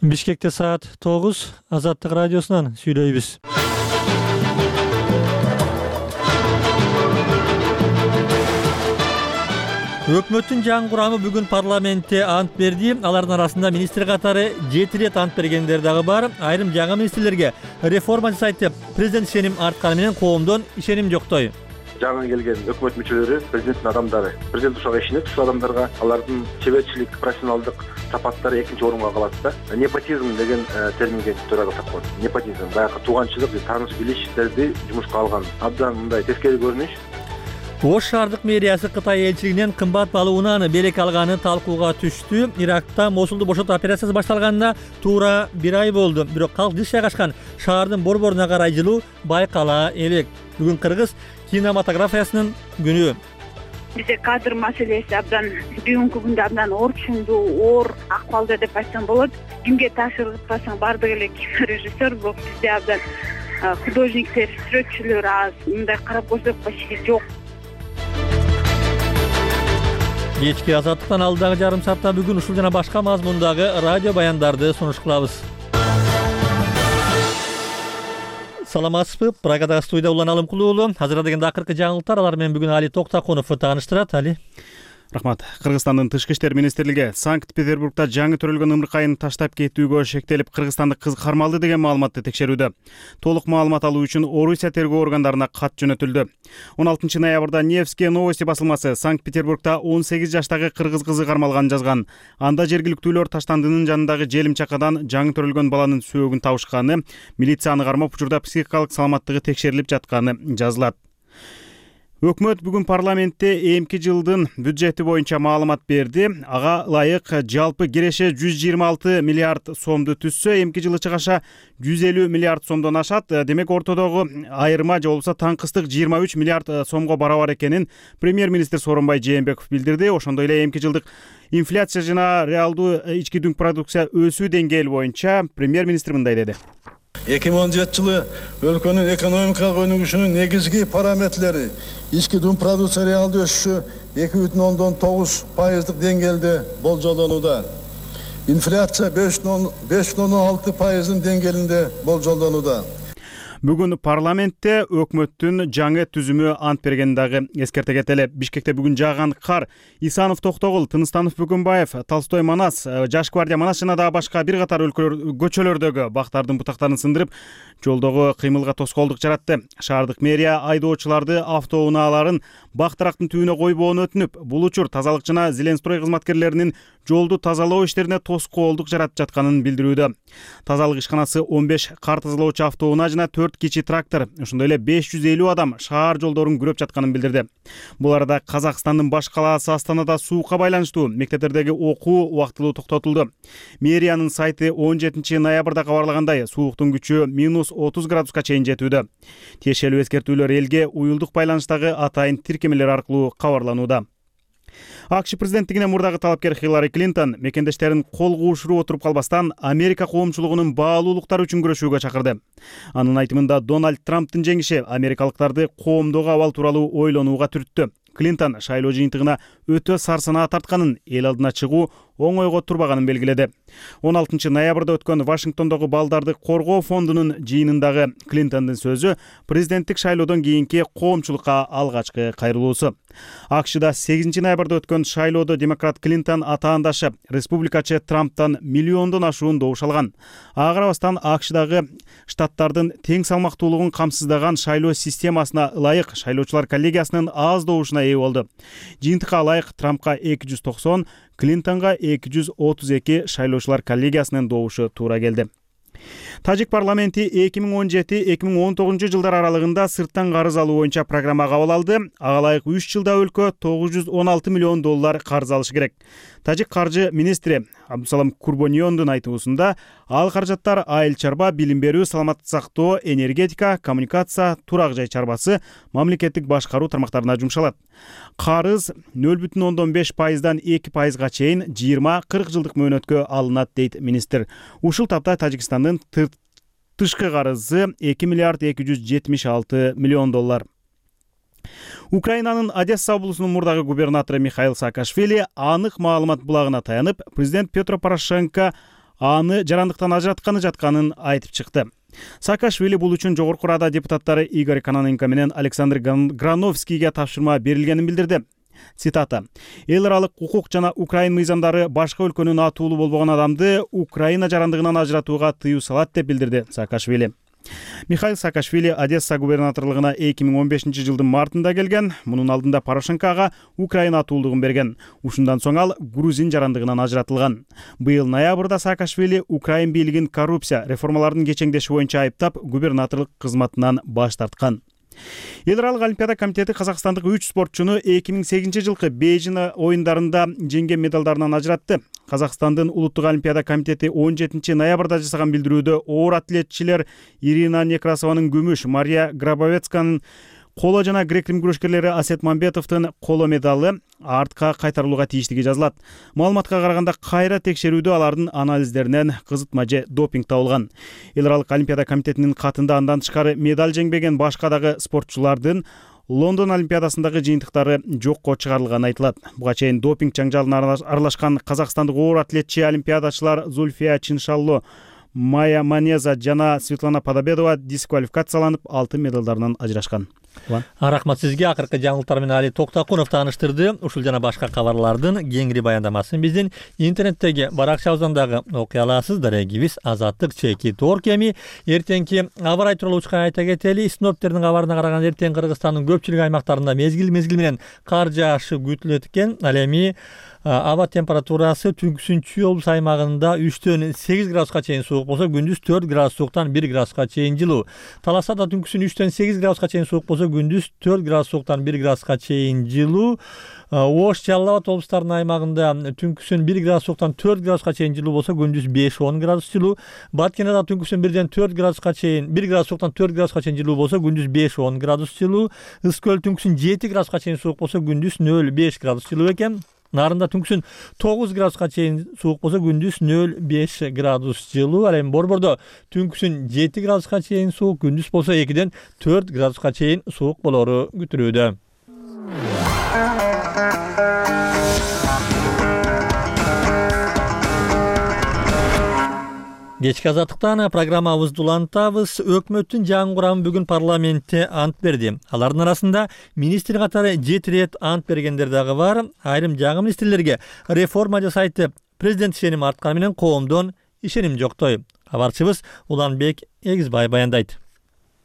Бишкекте саат 9, Азаттык радиосунан сүйлөйбүз. Өкмөттүн жаңы курамы бүгүн парламентте ант берди. Алардын арасында министр катары 7 рет ант бергендер дагы бар. Айрым жаңы министрлерге реформа жасайт деп президент ишеним артканы менен коомдон ишеним жоктой. Жаңы келген өкмөт мүчөлөрү президенттин адамдары. Президент ушуга ишенет, ушул адамдарга алардын чеберчилик, профессионалдык сапаттары экинчи орунга калат да. Непотизм деген терминге туура келип калат. Непотизм баягы тууганчылык, тааныш билиштерди жумушка алган. Абдан мындай тескери көрүнүш. Ош шаардык мэриясы Кытай элчилигинен кымбат баалуу унааны белек алганы талкууга түштү. Иракта Мосулду бошотуу операциясы башталганына туура 1 ай болду. Бирок калк жыш жайгашкан шаардын борборуна карай жылуу байкала элек. Бүгүн кыргыз кинематографиясынын күнү. Бизде кадр маселеси абдан бүгүнкү күндө абдан орчундуу, оор акыбалда деп айтсам болот. Кимге тапшырып атсаң баардык эле кинорежиссер, бирок бизде абдан художниктер, сүрөтчүлөр аз. Мындай карап көрсөк почти жок. Кечки Азаттыктан алдагы жарым саатта бүгүн ушул жана башка мазмундагы радио баяндарды сунуш кылабыз. Саламатсызбы? Прагадагы студияда Улан Алымкулуу уулу. Азыр дегенде акыркы жаңылыктар, алар менен бүгүн Али Токтакунов тааныштырат. Али. Рахмат. Кыргызстандын Тышкы иштер министрлиги Санкт-Петербургда жаңы төрөлгөн ымыркайын таштап кетүүгө шектелип, кыргызстандык кыз кармалды деген маалыматты текшерүүдө. Толук маалымат алуу үчүн Орусия тергөө органдарына кат жөнөтүлдү. 16 ноябрда Невские новости басылмасы Санкт-Петербургда 18 жаштагы кыргыз кызы кармалганын жазган. Анда жергиликтүүлөр Таштандынын жанындагы желим чакадан жаңы төрөлгөн баланын сөөгүн табышканы, милицияны кармап учурда психикалык саламаттыгы текшерилип жатканы жазылат. Өкмөт бүгүн парламентте эмки жылдын бюджети боюнча маалымат берди. Ага ылайык жалпы киреше 126 миллиард сомду түзсө, эмки жылы чыгаша 150 миллиард сомдон ашат. Демек ортодогу айырма же болбосо таңкыстык 23 миллиард сомго барабар экенин премьер-министр Сооронбай Жээнбеков билдирди. Ошондой эле эмки жылдык инфляция жана реалдуу ички дүң продукция өсүү деңгээли боюнча премьер-министр мындай деди. 2017 жылы өлкөнүн экономикалык өнүгүшүнүн негизги параметрлери ички дүң продукция реалдуу өсүшү 2,9% деңгээлде болжолдонууда. Инфляция 5,6% деңгээлинде болжолдонууда. Бүгүн парламентте өкмөттүн жаңы түзүмү ант берген дагы эскерте кетели. Бишкекте бүгүн жааган кар Исанов Токтогул, Тыныстанов Бөгөнбаев, Толстой Манас, Жаш гвардия Манас жана дагы башка бир катар көчөлөрдөгү бактардын бутактарын сындырып, жолдогу кыймылга тоскоолдук жаратты. Шаардык мэрия айдоочуларды автоунааларын бактарактын түбүнө койбоону өтүнүп, бул учур тазалык жана Зеленстрой кызматкерлеринин жолду тазалоо иштерине тоскоолдук жаратып жатканын билдирүүдө. Тазалык ишканасы 15 кар тазалоочу автоунаа жана 4 кичи трактор, ошондой эле 550 адам шаар жолдорун күрөп жатканын билдирди. Бул арада Казакстандын баш калаасы Астанада суукка байланыштуу мектептердеги окуу убактылуу токтотулду. Мэриянын сайты 17 ноябрда кабарлагандай, сууктун күчү -30 градуска чейин жетүүдө. Тиешелүү эскертүүлөр элге уюлдук байланыштагы атайын тиркемелер аркылуу кабарланууда. АКШ президенттигине мурдагы талапкер Хиллари Клинтон мекендештерин кол куушуруп отуруп калбастан Америка коомчулугунун баалуулуктары үчүн күрөшүүгө чакырды. Анын айтымында Дональд Трамптын жеңиши америкалыктарды коомдогу абал тууралуу ойлонууга түрттү. Клинтон шайлоо жыйынтыгына өтө сарсанаа тартканын, эл алдына чыгуу оңойго турбаганын белгиледи. 16 ноябрда өткөн Вашингтондогу балдарды коргоо фондунун жыйынындагы Клинтондун сөзү президенттик шайлоодон кийинки коомчулукка алгачкы кайрылуусу. АКШда 8 ноябрда өткөн шайлоодо демократ Клинтон атаандашы республикачы Трамптан миллиондон ашуун добуш алган. Ага карабастан АКШдагы штаттардын тең салмактуулугун камсыздаган шайлоо системасына ылайык шайлоочулар коллегиясынын аз добушуна ээ болду. Жыйынтыкка ылайык Трампка 290, Клинтонга 232 шайлоочулар коллегиясынын добушу туура келди. Тажик парламенти 2017-2019 жылдар аралыгында сырттан карыз алуу боюнча программа кабыл алды. Ага ылайык 3 жылда өлкө 916 миллион доллар карыз алышы керек. Тажик каржы министри Абдусалам Курбониондун айтуусунда ал каражаттар айыл чарба, билим берүү, саламаттык сактоо, энергетика, коммуникация, турак жай чарбасы, мамлекеттик башкаруу тармактарына жумшалат. Карыз 0,5%дан 2%га чейин 20-40 жылдык мөөнөткө алынат дейт министр. Ушул тапта Тажикстандын тышкы карызы 2 миллиард 276 миллион доллар. Украинанын Одесса облусунун мурдагы губернатору Михаил Саакашвили анык маалымат булагына таянып, президент Петро Порошенко аны жарандыктан ажыратканы жатканын айтып чыкты. Саакашвили бул үчүн Жогорку Рада депутаттары Игорь Кононенко менен Александр Грановскийге тапшырма берилгенин билдирди. Цитата: «Эл аралык укук жана Украин мыйзамдары башка өлкөнүн атуулу болбогон адамды Украина жарандыгынан ажыратууга тыюу салат», деп билдирди Саакашвили. Михаил Саакашвили Одесса губернаторлугуна 2015-жылдын мартында келген. Мунун алдында Порошенкого Украина атуулдугун берген. Ушундан соң ал грузин жарандыгынан ажыратылган. Быйыл ноябрда Саакашвили Украин бийлигин коррупция реформалардын кечеңдеши боюнча айыптап, губернаторлук кызматынан баш тарткан. Эл аралык олимпиада комитети казакстандык 3 спортчуну 2008-жылкы Бейжин оюндарында жеңген медалдарынан ажыратты. Казакстандын улуттук олимпиада комитети 17 ноябрда жасаган билдирүүдө оор атлетчилер Ирина Некрасованын күмүш, Мария Грабовецканын коло жана грек-рим күрөшкерлери Асет Мамбетовдун коло медалы артка кайтарылууга тийиштиги жазылат. Маалыматка караганда кайра текшерүүдө алардын анализдеринен кызытма же допинг табылган. Эл аралык олимпиада комитетинин катында андан тышкары медаль жеңбеген башка дагы спортчулардын Лондон олимпиадасындагы жыйынтыктары жокко чыгарылганы айтылат. Буга чейин допинг жаңжалына аралашкан казакстандык оор атлетчи олимпиадачылар Зульфия Чиншалло, Майя Манеза жана Светлана Подобедова дисквалификацияланып, алтын медалдарынан ажырашкан. Рахмат сизге. Акыркы жаңылыктар менен Али Токтакунов тааныштырды. Ушул жана башка кабарлардын кеңири баяндамасын биздин интернеттеги баракчабыздагы окуй аласыздар. Эгибиз Азаттык /Tor кеми. Эртеңки аба ырайы тууралуу учка айта кетели. Синоптиктердин кабарына караганда эртең Кыргызстандын көпчүлүк аймактарында мезгил менен кар жаашы күтүлөт экен. Ал эми аба температурасы түнкүсүнчү облус аймагында 3-төн 8 градуска чейин суук болсо, күндүз 4 градус сууктан 1 градуска чейин жылуу. Таласада түнкүсүн 3-төн 8 градуска чейин суук болсо, күндүз 4 градус сууктан 1 градуска чейин жылуу. Ош, Жалал Абад облустарынын аймагында түнкүсүн 1 градус сууктан 4 градуска чейин жылуу болсо, күндүз 5-10 градус жылуу. Баткенада түнкүсүн 1-ден 4 градуска чейин 1 градус сууктан 4 градуска чейин жылуу болсо, күндүз 5-10 градус жылуу. Ыскөл түнкүсүн 7 градуска чейин суук болсо, күндүз 0-5 градус жылуу экен. Нарында түнкүсүн 9 градуска чейин суук болсо, күндүз 0-5 градус жылуу. Ал эми Борбордо түнкүсүн 7 градуска чейин суук, күндүз болсо 2-ден 4 градуска чейин суук болору күтүлүүдө. Кечки азаттыктан программабызды улантабыз. Өкмөттүн жаңы курамы бүгүн парламентте ант берди. Алардын арасында министр катары 7 рет ант бергендер дагы бар. Айрым жаңы министрлерге реформа жасайтып, президент ишеним артканы менен коомдон ишеним жоктой. Кабарчыбыз Уланбек Эгизбай баяндайт.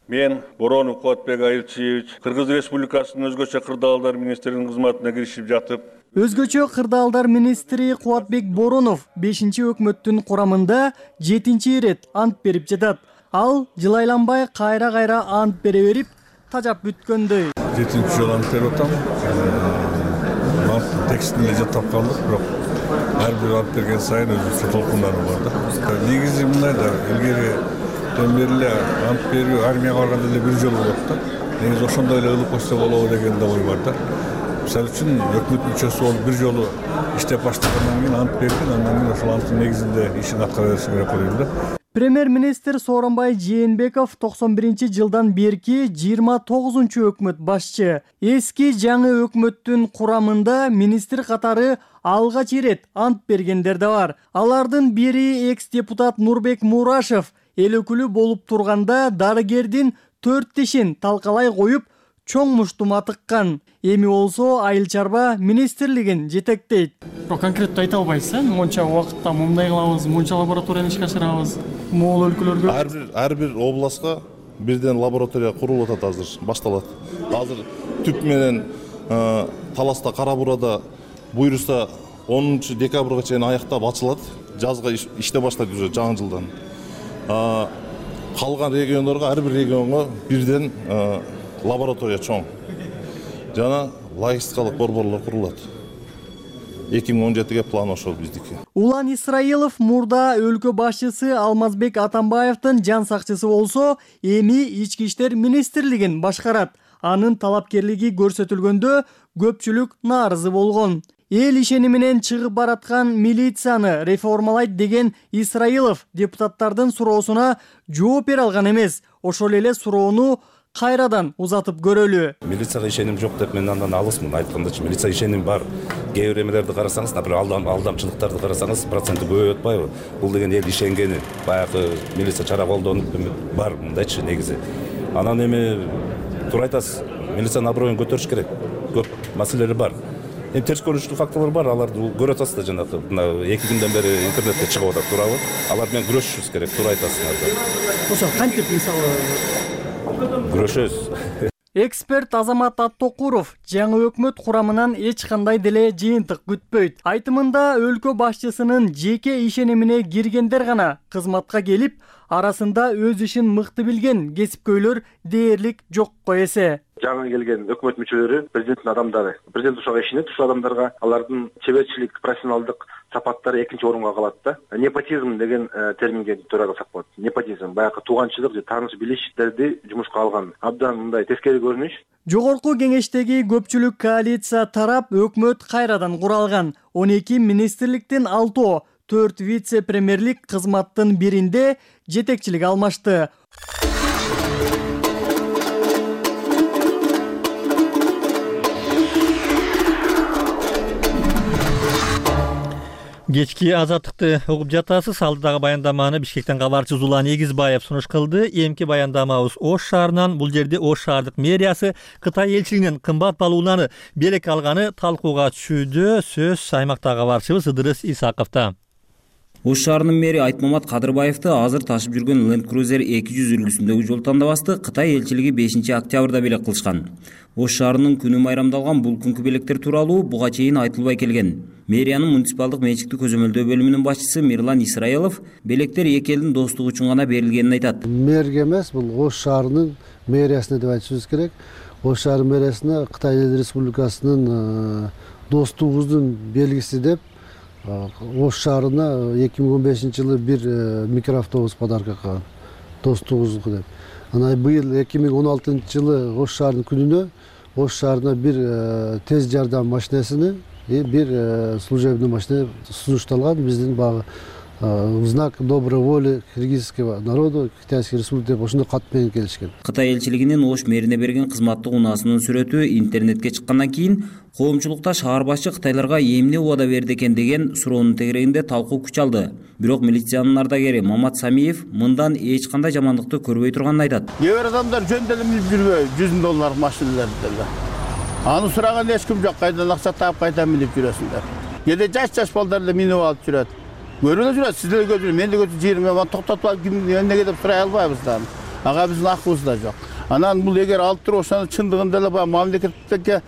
Мен Боронов Кулатбек Айылчиевич Кыргыз Республикасынын өзгөчө кырдаалдар министринин кызматына киришип жатып, Өзгөчө кырдаалдар министри Кулатбек Боронов 5-өкмөттүн курамында 7 рет ант берип жатат. Ал жылайланбай кайра ант бере берип, тажап бүткөндөй. 7 жолу ант берип атам. Ант текстин эле жаттап калдык, бирок ар бир ант берген сайын өзүнчө толкундары бар да. Негизи мындай да, илгери бери ант берүү армияга барганда эле бир жолу болот да. Негизи ошондой эле ылып койсо болобу деген да ой бар да. Мисалы үчүн өкмөт мүчөсү болуп бир жолу иштеп баштагандан кийин ант берген, андан кийин ошол анттын негизинде ишин аткара бериши керек деп ойлойм да. Премьер-министр Сооронбай Жээнбеков 91-жылдан берки 29-өкмөт башчы. Эски жаңы өкмөттүн курамында министр катары алгач рет ант бергендер да бар. Алардын бири экс-депутат Нурбек Мурашев эл өкүлү болуп турганда дарыгердин 4 тишин талкалай коюп, чоң муштума тыккан. Эми болсо айыл чарба министрлигин жетектейт. Конкреттүү айта албайсыз, монча убакытта мындай кылабыз, монча лабораторияны ишке ашырабыз. Могул өлкөлөргө ар бир областка бирден лаборатория курулуп атат азыр, башталат. Азыр түп менен Таласта, Кара Буурада буйруса 10 декабрга чейин аяктап ачылат. Жазга иштеп баштайт уже жаңы жылдан. Калган региондорго, ар бир регионго бирден лаборатория чоң жана логистикалык борборлор курулат. 2017-ге план ошол биздики. Улан Исраилов мурда өлкө башчысы Алмазбек Атамбаевдин жан сакчысы болсо, эми ички иштер министрлигин башкарат. Анын талапкерлиги көрсөтүлгөндө көпчүлүк нааразы болгон. Эл ишеними менен чыгып бараткан милицияны реформалайт деген Исраилов депутаттардын суроосуна жооп бере алган эмес. Ошол эле суроону кайрадан узатып көрөлү. Милицияга ишеним жок деп мен андан алысмын. Айткандачы милиция ишеним бар. кээ бир эмелерди карасаңыз, например, алдамчылыктарды карасаңыз, проценти көбөйүп атпайбы? Бул деген эл ишенгени, баягы милиция чара колдонуп бар мындайчы негизи. Анан эми туура айтасыз, милициянын аброюн көтөрүш керек. Көп маселелер бар. Эми терс көрүнүштүү факторлор бар, аларды көрүп атасыз да, жанагы мына 2 күндөн бери интернетте чыгып атат, туурабы? Алар менен күрөшүшүбүз керек, туура айтасыздар. Ошо кантип мисалы күрөшөбүз. Эксперт Азамат Аттокуров жаңы өкмөт курамынан эч кандай деле жыйынтык күтпөйт. Айтымында өлкө башчысынын жеке ишенимине киргендер гана кызматка келип, арасында өз ишин мыкты билген кесипкөйлөр дээрлик жокко эсе. Жаңы келген өкмөт мүчөлөрү президенттин адамдары. Президент ушуга ишенет, ушул адамдарга алардын чеберчилик, профессионалдык сапаттары экинчи орунга калат да. Непотизм деген терминге туура кылсак болот. Непотизм баягы тууганчылык же тааныш билиштерди жумушка алган. Абдан мындай тескери көрүнүш. Жогорку кеңештеги көпчүлүк коалиция тарап өкмөт кайрадан куралган. 12 министрликтин 6, 4 вице-премьерлик кызматтын биринде жетекчилик алмашты. Кечки азаттыкты угуп жатасыз. Алдыдагы баяндаманы Бишкектен кабарчы Зулан Эгизбаев сунуш кылды. Эмки баяндамабыз Ош шаарынан. Бул жерде Ош шаардык мэриясы Кытай элчилигинин кымбат балл унааны белек алганы талкууга түшүүдө. Сөз аймактагы кабарчыбыз Ыдырыс Исаковдо. Ош шаарынын мэри Айтмамат Кадырбаевди азыр ташып жүргөн Land Cruiser 200 үлгүсүндөгү жол тандабасты Кытай элчилиги 5 октябрда белек кылышкан. Ош шаарынын күнү майрамдалган бул күнкү белектер тууралуу буга чейин айтылбай келген. Мэриянын муниципалдык менчиктүү көзөмөлдөө бөлүмүнүн башчысы Мирлан Исраилов белектер эки элдин достугу үчүн гана берилгенин айтат. Мэрге эмес, бул Ош шаарынын мэриясына деп айтышыбыз керек. Ош шаарынын мэриясына Кытай Республикасынын достугубуздун белгиси деп Ош шаарына 2015-жылы бир микроавтобус подарка кылган. Достугубуздуку деп. Анан быйыл 2016-жылы Ош шаарынын күнүнө Ош шаарына бир тез жардам машинесini бир служебный машина сунушталган. Биздин багы знак доброй воли киргизского народа, Китайской республики деп ошондой кат менен келишкен. Кытай элчилигинин Ош мэрине берген кызматтык унаасынын сүрөтү интернетке чыккандан кийин коомчулукта шаар башчы Кытайларга эмне убада берди экен деген суроонун тегерегинде талкуу күч алды. Бирок милициянын ардагери Мамат Самиев мындан эч кандай жамандыкты көрбөй турганын айтат. Кээ бир адамдар жөн деле минип жүрбөй, $100 машиналарды деле. Аны сураган эч ким жок, кайдан акча таап кайдан минип жүрөсүңдөр. Кээде жаш балдар эле минип алып жүрөт. Көрүлө жүрөт, сиздер көрүп, мен деле көрүп жериме токтотуп алып эмнеге деп сурай албайбыз да. Ага биздин акыбызда жок. Анан бул эгер алып туруп ошону чындыгында эле баягы мамлекетке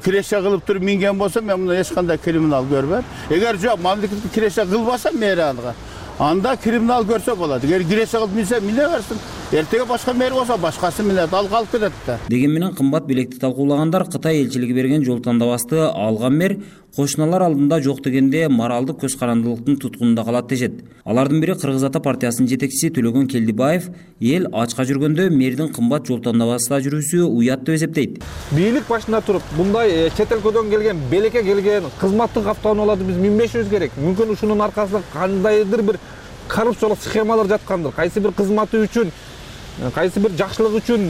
киреше кылып туруп минген болсо, мен мына эч кандай криминал көрбөйм. Эгер жок, мамлекетке киреше кылбаса мэрияга, анда криминал көрсө болот. Эгер киреше кылып минсе, мине берсин. Эртеге башка мэр болсо, башкасы минет, ал калып кетет да. Деген менен кымбат билекти талкуулагандар Кытай элчилиги берген жол тандабасты алган мэр кошуналар алдында жок дегенде моралдык көз карандылыктын туткунунда калат дешет. Алардын бири Кыргыз Ата партиясынын жетекчиси Төлөгөн Келдибаев эл ачка жүргөндө мэрдин кымбат жол тандабасында жүрүүсү уят деп эсептейт. Бийлик башында туруп, мындай чет өлкөдөн келген, белекке келген кызматтык автоунааларды биз минбешибиз керек. Мүмкүн ушунун аркасында кандайдыр бир коррупциялык схемалар жаткандыр. Кайсы бир кызматы үчүн, кайсы бир жакшылык үчүн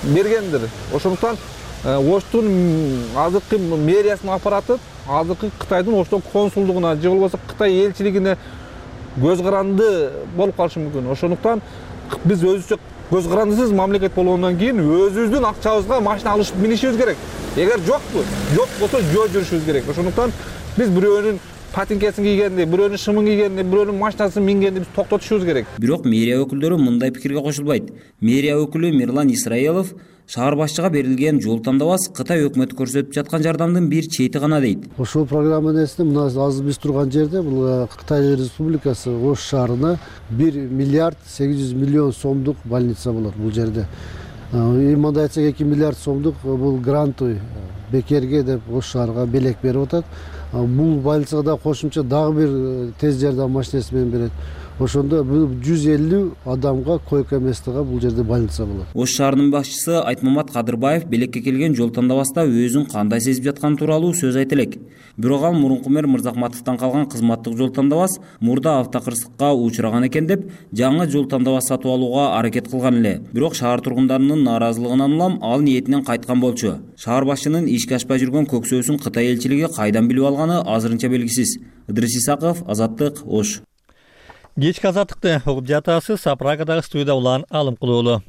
бергендир. Ошондуктан Оштун азыркы мэриясынын аппараты азыркы Кытайдын Оштон консулдугуна же болбосо Кытай элчилигине көз каранды болуп калышы мүмкүн. Ошондуктан биз өзүбүзчө көз карандысыз мамлекет болгондон кийин өзүбүздүн акчабызга машина алышып минишибиз керек. Эгер жок болсо жөө жүрүшүбүз керек. Ошондуктан биз бирөөнүн патинкесин кийгенди, бирөөнүн шымын кийгенди, бирөөнүн машинасын мингенди биз токтотушубуз керек. Бирок мэрия өкүлдөрү мындай пикирге кошулбайт. Мэрия өкүлү Мирлан Исраилов шаар башчыга берилген жол тандабас Кытай өкмөтү көрсөтүп жаткан жардамдын бир чети гана дейт. Ошол программанын эсинде мына азыр биз турган жерде бул Кытай Республикасы Ош шаарына 1 миллиард 800 миллион сомдук больница болот бул жерде. Мындай айтсак 2 миллиард сомдук бул грантовый бекерге деп Ош шаарга белек берип атат. Бул больницага кошумча дагы бир тез жардам машинеси менен берет. ошондо бул 150 адамга койка местага бул жерде больница болот. Ош шаарынын башчысы Айтмамат Кадырбаев белекке келген жол тандабаста өзүн кандай сезип жатканы тууралуу сөз айта элек. Бирок ал мурунку мэр Мырзахматовдон калган кызматтык жол тандабас мурда автокырсыкка учураган экен деп, жаңы жол тандабас сатып алууга аракет кылган эле. Бирок шаар тургундарынын нааразылыгынан улам ал ниетинен кайткан болчу. Шаар башчынын ишке ашпай жүргөн көксөөсүн Кытай элчилиги кайдан билип алганы азырынча белгисиз. Ыдырыс Исаков, Азаттык, Ош. Кечки азаттыкты угуп жатасыз. Прагадагы студияда Улан Алымкулуулу.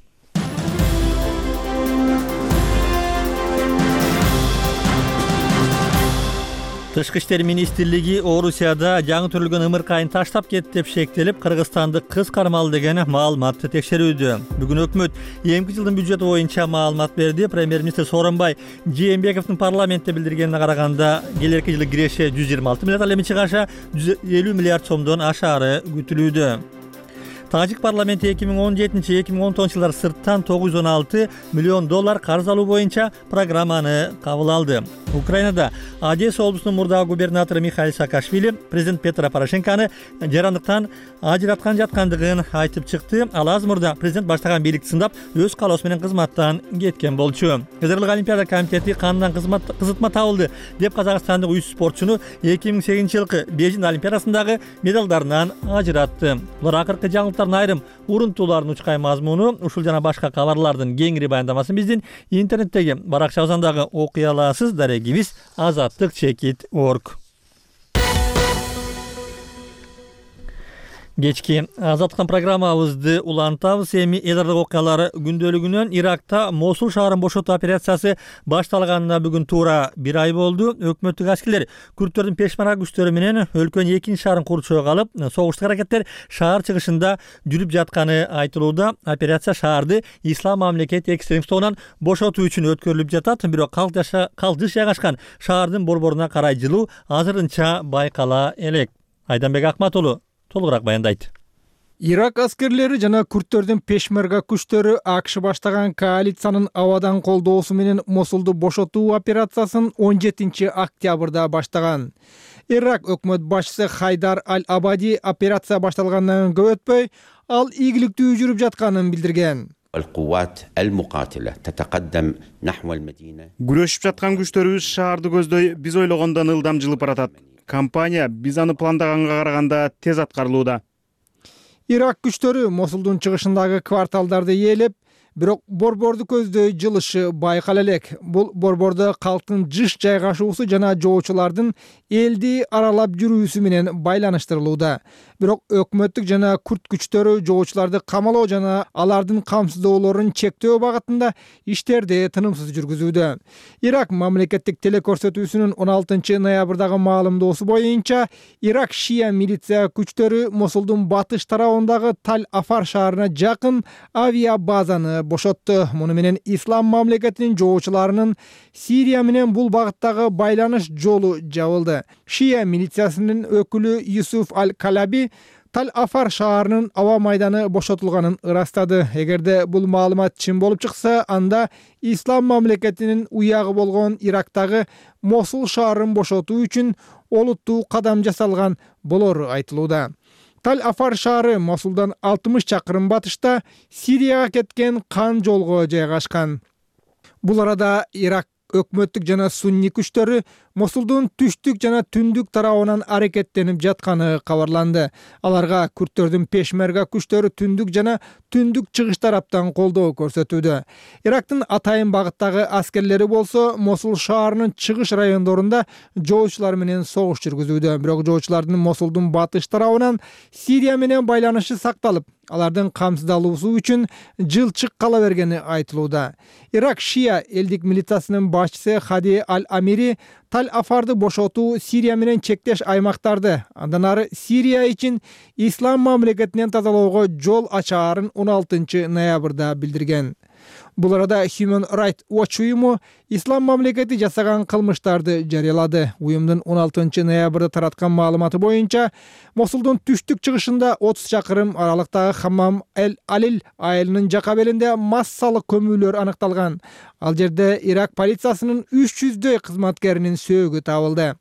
Тышкы иштер министрлиги Орусияда жаңы төрөлгөн ымыркайын таштап кетти деп шектелип, Кыргызстанды кыз кармалды деген маалыматты текшерүүдө. Бүгүн өкмөт эмки жылдын бюджети боюнча маалымат берди. Премьер-министр Сооронбай Жээнбековдун парламентте билдиргенине караганда, келерки жылы киреше 126 миллиард, ал эми чыгаша 150 миллиард сомдон ашаары күтүлүүдө. Тажик парламенти 2017-2019 жылдары сырттан 916 миллион доллар карыз алуу боюнча программаны кабыл алды. Украинада Одесса облусунун мурдагы губернатору Михаил Саакашвили президент Петро Порошенкону жарандыктан ажыраткан жаткандыгын айтып чыкты. Ал аз мурда президент баштаган бийликти сындап, өз каалоосу менен кызматтан кеткен болчу. Кызырлык олимпиада комитети канынан кызытма табылды деп казакстандык 3 спортчуну 2008-жылкы Бейжиң олимпиадасындагы медалдарынан ажыратты. Булар акыркы жаңылыктардын айрым урунтууларын учкай мазмуну. Ушул жана башка кабарлардын кеңири баяндамасын биздин интернеттеги баракчабыздагы окуй аласыз. Дарегибиз azatlyk.org. Кечки азаттыктан программабызды улантабыз. Эми эл аралык окуялар күндөлүгүнөн Иракта Мосул шаарын бошотуу операциясы башталганына бүгүн туура 1 ай болду. Өкмөттүк аскерлер күрттөрдүн пешмарга күчтөрү менен өлкөнүн экинчи шаарын курчоого алып, согуштук аракеттер шаар чыгышында жүрүп жатканы айтылууда. Операция шаарды ислам мамлекет экстремист тобунан бошотуу үчүн өткөрүлүп жатат. Бирок калдыш жайгашкан шаардын борборуна карай жылуу азырынча байкала элек. Айданбек Акматулу толугураак баяндайт. Ирак аскерлери жана күрттөрдүн пешмерга күчтөрү АКШ баштаган коалициянын абадан колдоосу менен Мосулду бошотуу операциясын 17 октябрда баштаган. Ирак өкмөт башчысы Хайдар Аль-Абади операция башталгандан көп өтпөй, ал ийгиликтүү жүрүп жатканын билдирген. Күрөшүп жаткан күчтөрүбүз шаарды көздөй биз ойлогондон ылдам жылып баратат. Компания биз аны пландаганга караганда тез аткарылууда. Ирак күчтөрү Мосулдун чыгышындагы кварталдарды ээлеп, бирок борборду көздөй жылышы байкала элек. Бул борбордо калктын жыш жайгашуусу жана жоочулардын элди аралап жүрүүсү менен байланыштырылууда. Бирок өкмөттүк жана күрт күчтөрү жоочуларды камалоо жана алардын камсыздоолорун чектөө багытында иштерди тынымсыз жүргүзүүдө. Ирак мамлекеттик телекөрсөтүүсүнүн 16 ноябрдагы маалымдоосу боюнча, Ирак шия милиция күчтөрү Мосулдун батыш тарабындагы Таль-Афар шаарына жакын авиабазаны бошотту. Муну менен ислам мамлекетинин жоочуларынын Сирия менен бул багыттагы байланыш жолу жабылды. Шия милициясынын өкүлү Юсуф Аль-Калаби Таль-Афар шаарынын аба майданы бошотулганын ырастады. Эгерде бул маалымат чын болуп чыкса, анда ислам мамлекетинин уягы болгон Ирактагы Мосул шаарын бошотуу үчүн олуттуу кадам жасалган болору айтылууда. Таль-Афар шаары Мосулдан 60 чакырым батышта Сирияга кеткен кан жолго жайгашкан. Бул арада Ирак өкмөттүк жана сунни күчтөрү Мосулдун түштүк жана түндүк тарабынан аракеттенип жатканы кабарланды. Аларга күрттөрдүн пешмерга күчтөрү түндүк жана түндүк чыгыш тараптан колдоо көрсөтүүдө. Ирактын атайын багыттагы аскерлери болсо Мосул шаарынын чыгыш райондорунда жоочулар менен согуш жүргүзүүдө. Бирок жоочулардын Мосулдун батыш тарабынан Сирия менен байланышы сакталып, алардын камсыздалуусу үчүн жылчык кала бергени айтылууда. Ирак шия элдик милициясынын башчысы Хади Аль-Амири Таль-Афарды бошотуу Сирия менен чектеш аймактарды, андан ары Сирия үчүн ислам мамлекетинен тазалоого жол ачаарын 16 ноябрда билдирген. Бул арада Human Rights Watch уюму ислам мамлекети жасаган кылмыштарды жарыялады. Уюмдун 16 ноябрда тараткан маалыматы боюнча, Мосулдун түштүк чыгышында 30 чакырым аралыктагы Хаммам Эль-Алил айылынын жака белинде массалык көмүүлөр аныкталган. Ал жерде Ирак полициясынын 300дөй кызматкеринин сөөгү табылды.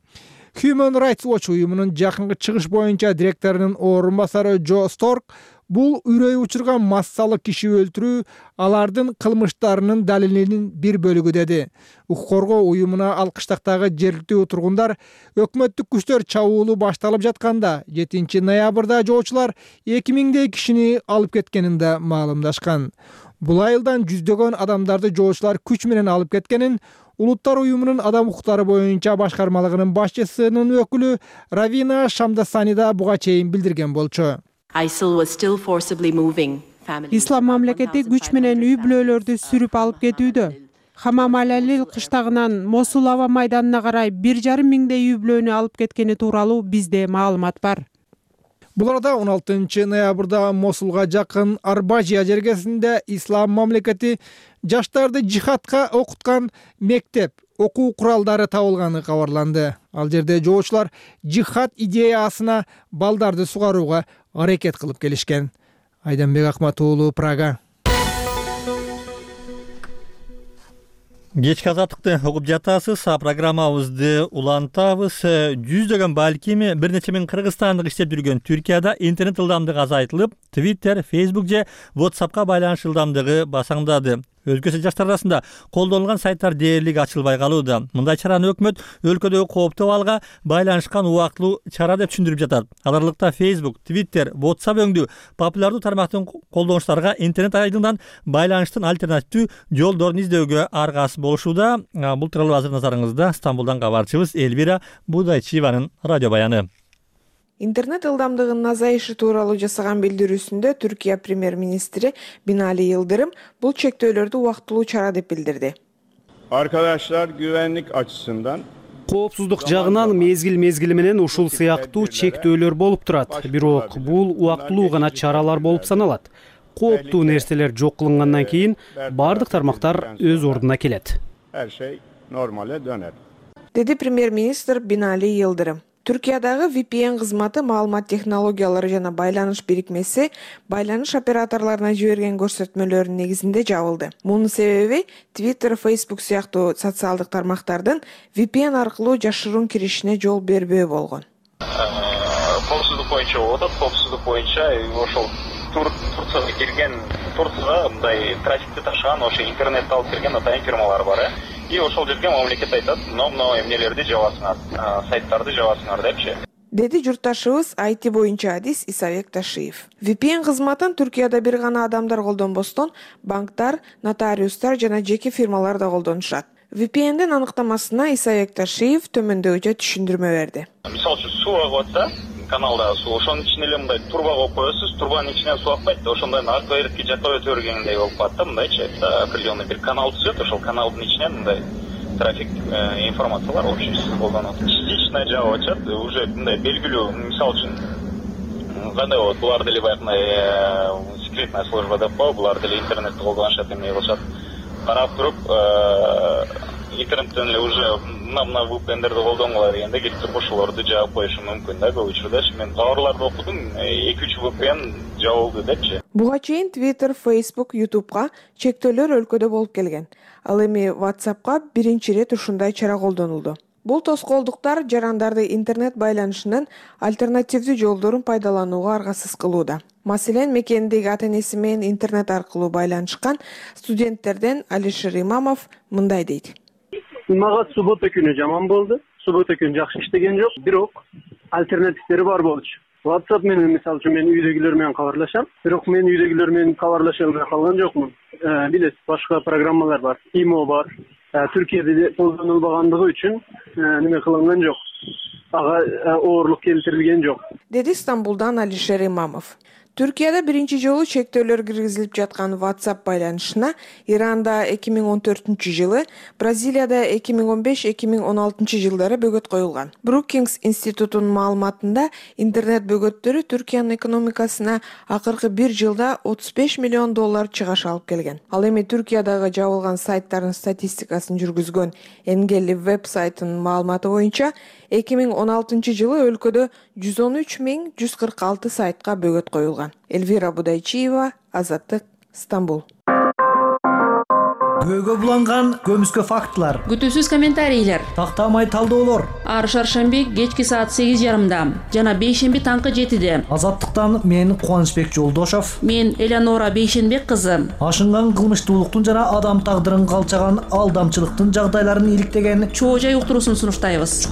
Human Rights Watch уюмунун жакынкы чыгыш боюнча директорунун орун басары Джо Сторк бул үрөй учурган массалык киши өлтүрүү алардын кылмыштарынын далилинин бир бөлүгү деди. Укук коргоо уюмуна алкыштактагы жергиликтүү тургундар өкмөттүк күчтөр чабуулу башталып жатканда 7 ноябрда жоочулар 2000дей кишини алып кеткенин да маалымдашкан. Бул айылдан жүздөгөн адамдарды жоочулар күч менен алып кеткенин Улуттар уюмунун адам укуктары боюнча башкармалыгынын башчысынын өкүлү Равина Шамдасанида буга чейин билдирген болчу. Ислам мамлекети күч менен үй бүлөлөрдү сүрүп алып кетүүдө. Хамам Алалил кыштагынан Мосул аба майданына карай 1,5 миңдей үй бүлөнү алып кеткени тууралуу бизде маалымат бар. Бул арада 16 ноябрда Мосулга жакын Арбажия жергесинде Ислам мамлекети жаштарды жихадка окуткан мектеп окуу куралдары табылганы кабарланды. Ал жерде жоочулар жихад идеясына балдарды сугарууга аракет кылып келишкен. Айданбек Акматуулу, Прага. Кечки азаттыкты угуп жатасыз, программабызды улантабыз. Жүздөгөн балким бир нече миң кыргызстандык иштеп жүргөн Түркияда интернет ылдамдыгы азайтылып, Twitter, Facebook же WhatsAppка байланыш ылдамдыгы басаңдады. Өлкөсү жаштар арасында колдонулган сайттар дээрлик ачылбай калууда. Мындай чараны өкмөт өлкөдөгү кооптуу абалга байланышкан убактылуу чара деп түшүндүрүп жатат. Аларлыкта Facebook, Twitter, WhatsApp өңдүү популярдуу тармактын колдонуучуларга интернет айдындан байланыштын альтернативдүү жолдорун издөөгө аргасыз болушууда. Бул тууралуу азыр назарыңызда Стамбулдан кабарчыбыз Элвира Будайчиеванын радио баяны. Интернет ылдамдыгынын азайышы тууралуу жасаган билдирүүсүндө Түркия премьер-министри Бинали Yıldırım бул чектөөлөрдү убактылуу чара деп билдирди. Arkadaşlar güvenlik açısından коопсуздук жагынан мезгил менен ушул сыяктуу чектөөлөр болуп турат. Бирок бул убактылуу гана чаралар болуп саналат. Кооптуу нерселер жок кылынгандан кийин бардык тармактар өз ордуна келет. Her şey normale döner. Деди премьер-министр Бинали Yıldırım. Түркиядагы VPN кызматы маалымат технологиялары жана байланыш бирикмеси байланыш операторлоруна жиберген көрсөтмөлөрүнүн негизинде жабылды. Мунун себеби Twitter, Facebook сыяктуу социалдык тармактардын VPN аркылуу жашыруун киришине жол бербөө болгон. Коопсуздук боюнча болот, коопсуздук боюнча ошол Турцияга кирген, Турцияга мындай трафикти ташыган, ошо интернетти алып кирген атайын фирмалар бар. И ошол жерге мамлекет айтат, мына эмнелерди жабасыңар, сайттарды жабасыңар депчи. Деди журтташыбыз IT боюнча адис Исабек Ташиев. VPN кызматын Түркияда бир гана адамдар колдонбостон, банктар, нотариустар жана жеке фирмалар да колдонушат. VPN-дин аныктамасына Исабек Ташиев төмөндөгүчө түшүндүрмө берди. Мисалы үчүн суу агып атса, каналда суу, ошонун ичине эле мындай турба коюп коесуз, турбанын ичинен суу акпайт, ошондой арка берипки жакка өтө бергендей болуп калат да, мындайчы, определенный бир канал түзөт, ошол каналдын ичинен мындай трафик информациялар общий колдонот. Частично жабып ачат, уже мындай белгилүү, мисалы үчүн кандай болот, булар деле баягы секретная служба деп коебу, булар деле интернетти колдонушат, эмне кылышат. Карап туруп, интернеттен эле уже мына VPN-дерди колдонгула дегенде келип туруп ошолорду жаап коюшу мүмкүн да, көп учурда. Мен кабарларды окудум, 2-3 VPN жабылды депчи. Буга чейин Twitter, Facebook, YouTube'га чектөөлөр өлкөдө болуп келген. Ал эми WhatsApp'ка биринчи ирет ушундай чара колдонулду. Бул тоскоолдуктар жарандарды интернет байланышынын альтернативдүү жолдорун пайдаланууга аргасыз кылууда. Маселен, мекендеги ата-энеси менен интернет аркылуу байланышкан студенттерден Алишер Имамов мындай дейт. Мага суббота күнү жаман болду. Суббота күнү жакшы иштеген жок, бирок альтернативдери бар болчу. WhatsApp менен мисалы үчүн мен үйдөгүлөр менен кабарлашам, бирок мен үйдөгүлөр менен кабарлаша албай калган жокмун. Билет, башка программалар бар, Imo бар. Түркияда колдонулбагандыгы үчүн неме кылынган жок. Ага оорлук келтирилген жок. Деди Стамбулдан Алишер Имамов. Түркияда биринчи жолу чектөөлөр киргизилип жаткан WhatsApp байланышына Иранда 2014-жылы, Бразилияда 2015-2016 жылдары бөгөт коюлган. Brookings институтунун маалыматында интернет бөгөттөрү Түркиянын экономикасына акыркы 1 жылда $35 миллион чыгаш алып келген. Ал эми Түркиядагы жабылган сайттардын статистикасын жүргүзгөн Engeli веб сайтынын маалыматы боюнча 2016-жылы өлкөдө 113.146 сайтка бөгөт коюлган. Элвира Будайчиева, Азаттык, Стамбул. көөгө буланган көмүскө фактылар, күтүүсүз комментарийлер, тактамай талдоолор. ар шаршемби кечки саат 8:30 жана бейшемби таңкы 7:00. Азаттыктан мен Кубанычбек Жолдошов, мен Элеонора Бейшенбек кызы. Ашынган кылмыштуулуктун жана адам тагдырын калчаган алдамчылыктын жагдайларын иликтеген Чоо жай уктуруусун сунуштайбыз.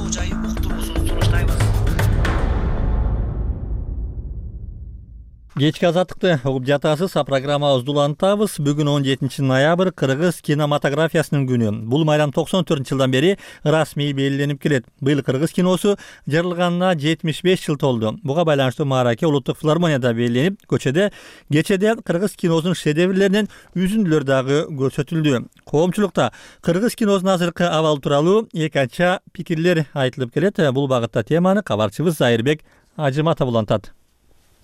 Кечки азаттыкты угуп жатасыз. Программабызды улантабыз. Бүгүн 17 ноябрь кыргыз кинематографиясынын күнү. Бул майрам 94-жылдан бери расмий белгиленип келет. Быйыл кыргыз киносу жарылганына 75 жыл толду. Буга байланыштуу маараке улуттук филармонияда белгиленип, кечеде кыргыз киносунун шедеврлеринен үзүндүлөр дагы көрсөтүлдү. Коомчулукта кыргыз киносунун азыркы абалы тууралуу эки ача пикирлер айтылып келет. Бул багытта теманы кабарчыбыз Зайырбек Ажыматов улантат.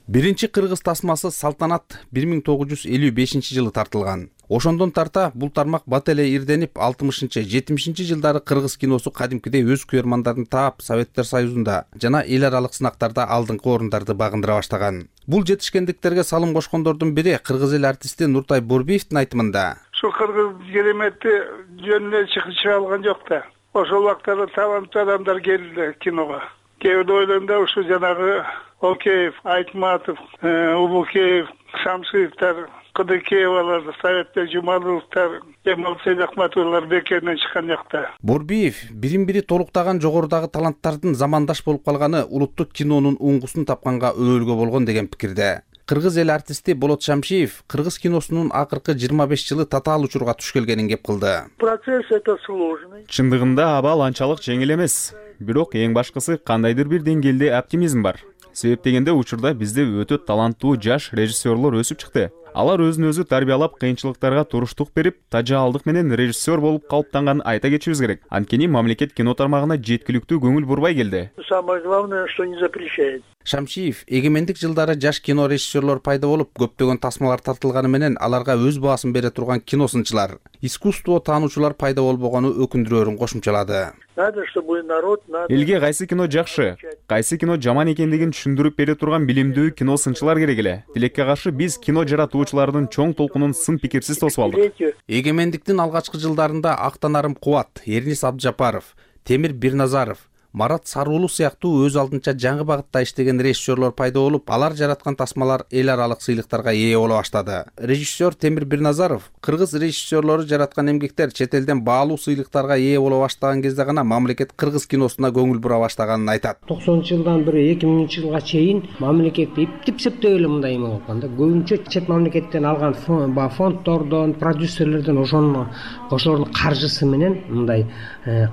Биринчи кыргыз тасмасы Салтанат 1955-жылы тартылган. Ошондон тарта бул тармак бат эле ирденип 60-70 жылдары кыргыз киносу кадимкидей өз көрөрмандарын таап Советтер Союзунда жана эл аралык сынактарда алдыңкы орундарды багындыра баштаган. Бул жетишкендиктерге салым кошкондордун бири кыргыз эл артисти Нуртай Борбиевдин айтымында. Şu kırgız кереметти жөнүнө чыга алган жок да. Ошол убактарда таланттуу адамдар келди киного. Кээ бирде ойлойм ушу жанагы Океев, Айтматов, Улукеев, Шамшиевтер, Кыдыкеевалар, Советтер Жумаловтар, Эмал Сейдахматовалар бекеринен чыккан жакта. Борбиев бирин-бири толуктаган жогорудагы таланттардын замандаш болуп калганы улуттук кинонун уңгусун тапканга өбөлгө болгон деген пикирде. Кыргыз эл артисти Болот Шамшиев кыргыз киносунун акыркы 25 жылы татаал учурга туш келгенин кеп кылды. Процесс это сложный. Чындыгында абал анчалык жеңил эмес. Бирок эң башкысы кандайдыр бир деңгээлде оптимизм бар. Себеп дегенде учурда бизде өтө таланттуу жаш режиссерлор өсүп чыкты. Алар өзүн өзү тарбиялап, кыйынчылыктарга туруштук берип, тажаалдык менен режиссер болуп калыптанган айта кетишибиз керек. Анткени мамлекет кино тармагына жеткиликтүү көңүл бурбай келди. Самое главное, что не запрещает. Шамшиев эгемендик жылдары жаш кино режиссерлор пайда болуп, көптөгөн тасмалар тартылганы менен аларга өз баасын бере турган киносунчулар, искусство таануучулар пайда болбогону өкүндүрөөрүн кошумчалады. Надо, чтобы народ, элге кайсы кино жакшы, кайсы кино жаман экендигин түшүндүрүп бере турган билимдүү кино сынчылар керек эле. Тилекке каршы биз кино жаратуучулардын чоң толкунун сын пикирсиз тосуп алдык. Эгемендиктин алгачкы жылдарында Актанарым Кубат, Эрнис Абдыжапаров, Темир Бирназаров, Марат Саруулу сыяктуу өз алдынча жаңы багытта иштеген режиссерлор пайда болуп, алар жараткан тасмалар эл аралык сыйлыктарга ээ боло баштады. Режиссер Темир Бирназаров кыргыз режиссерлору жараткан эмгектер чет элден баалуу сыйлыктарга ээ боло баштаган кезде гана мамлекет кыргыз киносуна көңүл бура баштаганын айтат. 90-жылдан бери 2000-жылга чейин мамлекет иптип-септеп эле мындай эме болгон да. Көбүнчө чет мамлекеттен алган фонддордон, продюсерлерден ошонун каржысы менен мындай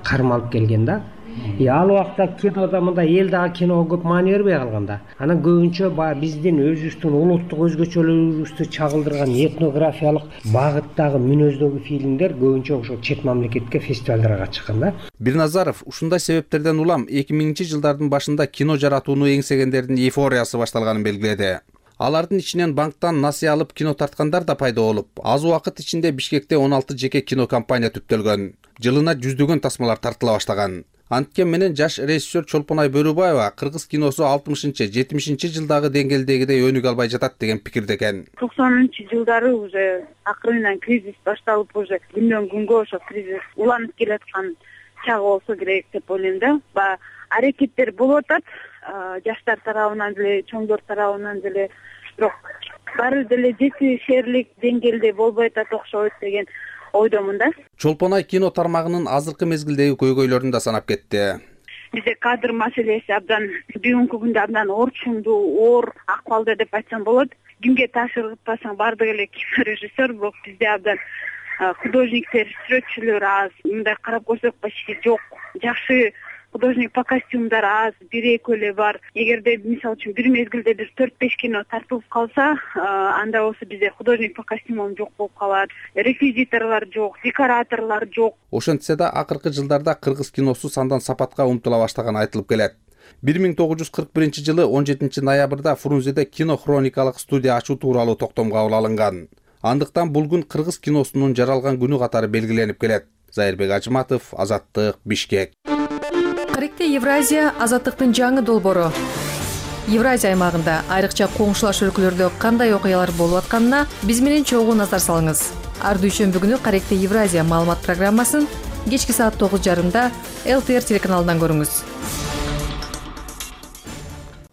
кармалып келген да. Ал убакта кинода мындай эл дагы киного көп маани бербей калганда. Анан көбүнчө биздин өзүбүздүн улуттук өзгөчөлүгүбүздү чагылдырган этнографиялык багыттагы мүнөздөгү фильмдер көбүнчө ошо чет мамлекетке фестивалдарга чыккан да. Бирназаров ушундай себептерден улам 2000-жылдардын башында кино жаратууну эңсегендердин эйфориясы башталганын белгиледи. Алардын ичинен банктан насыя алып кино тарткандар да пайда болуп, аз убакыт ичинде Бишкекте 16 жеке кино компания түптөлгөн. Жылына жүздөгөн тасмалар тартыла баштаган. Анткен менен жаш режиссер Чолпонай Бөрүбаева кыргыз киносу 60-70 жылдагы деңгээлдегидей өнүгө албай жатат деген пикирде экен. 90-жылдары уже акырынан кризис башталып, уже күндөн күнгө ошо кризис уланып келаткан чагы болсо керек деп ойлойм да. Аракеттер болуп атат, жаштар тарабынан деле, чоңдор тарабынан деле, бирок баары деле жетишерлик деңгээлде болбой атат окшойт деген ойдомун да. Чолпонай кино тармагынын азыркы мезгилдеги көйгөйлөрүн да санап кетти. Бизде кадр маселеси абдан бүгүнкү күндө абдан орчундуу, оор акыбалда деп айтсам болот. Кимге тапшырбасаң баардык эле режиссер, бирок бизде абдан художниктер, сүрөтчүлөр аз, мындай карап көрсөк почти жок. Жакшы художник по костюмдар аз, бир-эки эле бар. Эгерде мисалы үчүн бир мезгилде бир 4-5 кино тартылып калса, анда болсо бизде художник по костюмам жок болуп калат, реквизиторлор жок, декораторлор жок. Ошентсе да акыркы жылдарда кыргыз киносу сандан сапатка умтула баштаганы айтылып келет. 1941-жылы 17 ноябрда Фрунзеде кино хроникалык студия ачуу тууралуу токтом кабыл алынган. Андыктан бул күн кыргыз киносунун жаралган күнү катары белгиленип келет. Зайырбек Ажыматов, Азаттык, Бишкек. Каректе Евразия азаттыктын жаңы долбоору. Евразия аймагында айрыкча коңшулаш өлкөлөрдө кандай окуялар болуп атканына биз менен чогуу назар салыңыз. Ар дүйшөмбү күнү Каректе Евразия маалымат программасын кечки саат 9:30 ЛТР телеканалынан көрүңүз.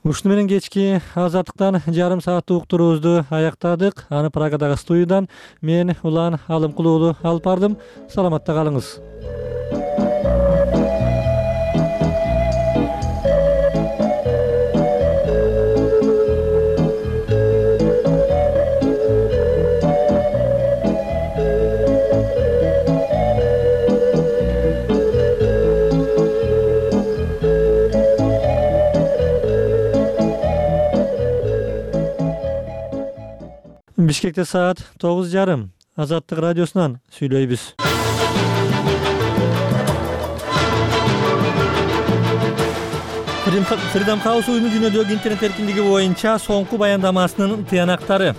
Ушуну менен кечки азаттыктан жарым сааттык уктуруубузду аяктадык. Аны Прагадагы студиядан мен Улан Алымкулуулу алып бардым. Саламатта калыңыз. Бишкекте саат 9:30. Азаттык радиосунан сүйлөйбүз. Freedom House уюму дүйнөдөгү интернет эркиндиги боюнча соңку баяндамасынын тыянактары.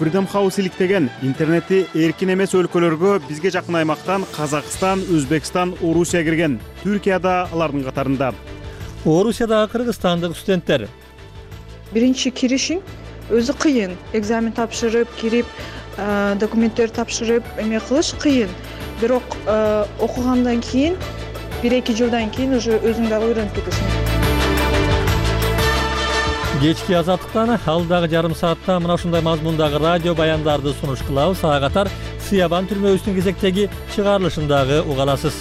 Freedom House иликтеген интернети эркин эмес өлкөлөргө бизге жакын аймактан Казакстан, Өзбекстан, Орусия кирген. Түркия да алардын катарында. Орусиядагы кыргызстандык студенттер. Биринчи киришиң өзү кыйын. Экзамен тапшырып, кирип, документтер тапшырып, эме кылыш кыйын. Бирок окугандан кийин, 1-2 жылдан кийин уже өзүң дагы үйрөнүп кетесиң. Кечки азаттыктан алдагы жарым саатта мына ушундай мазмундагы радио баяндарды сунуш кылабыз. Ага катар Сыябан түрмөбүздүн кезектеги чыгарылышындагы угаласыз.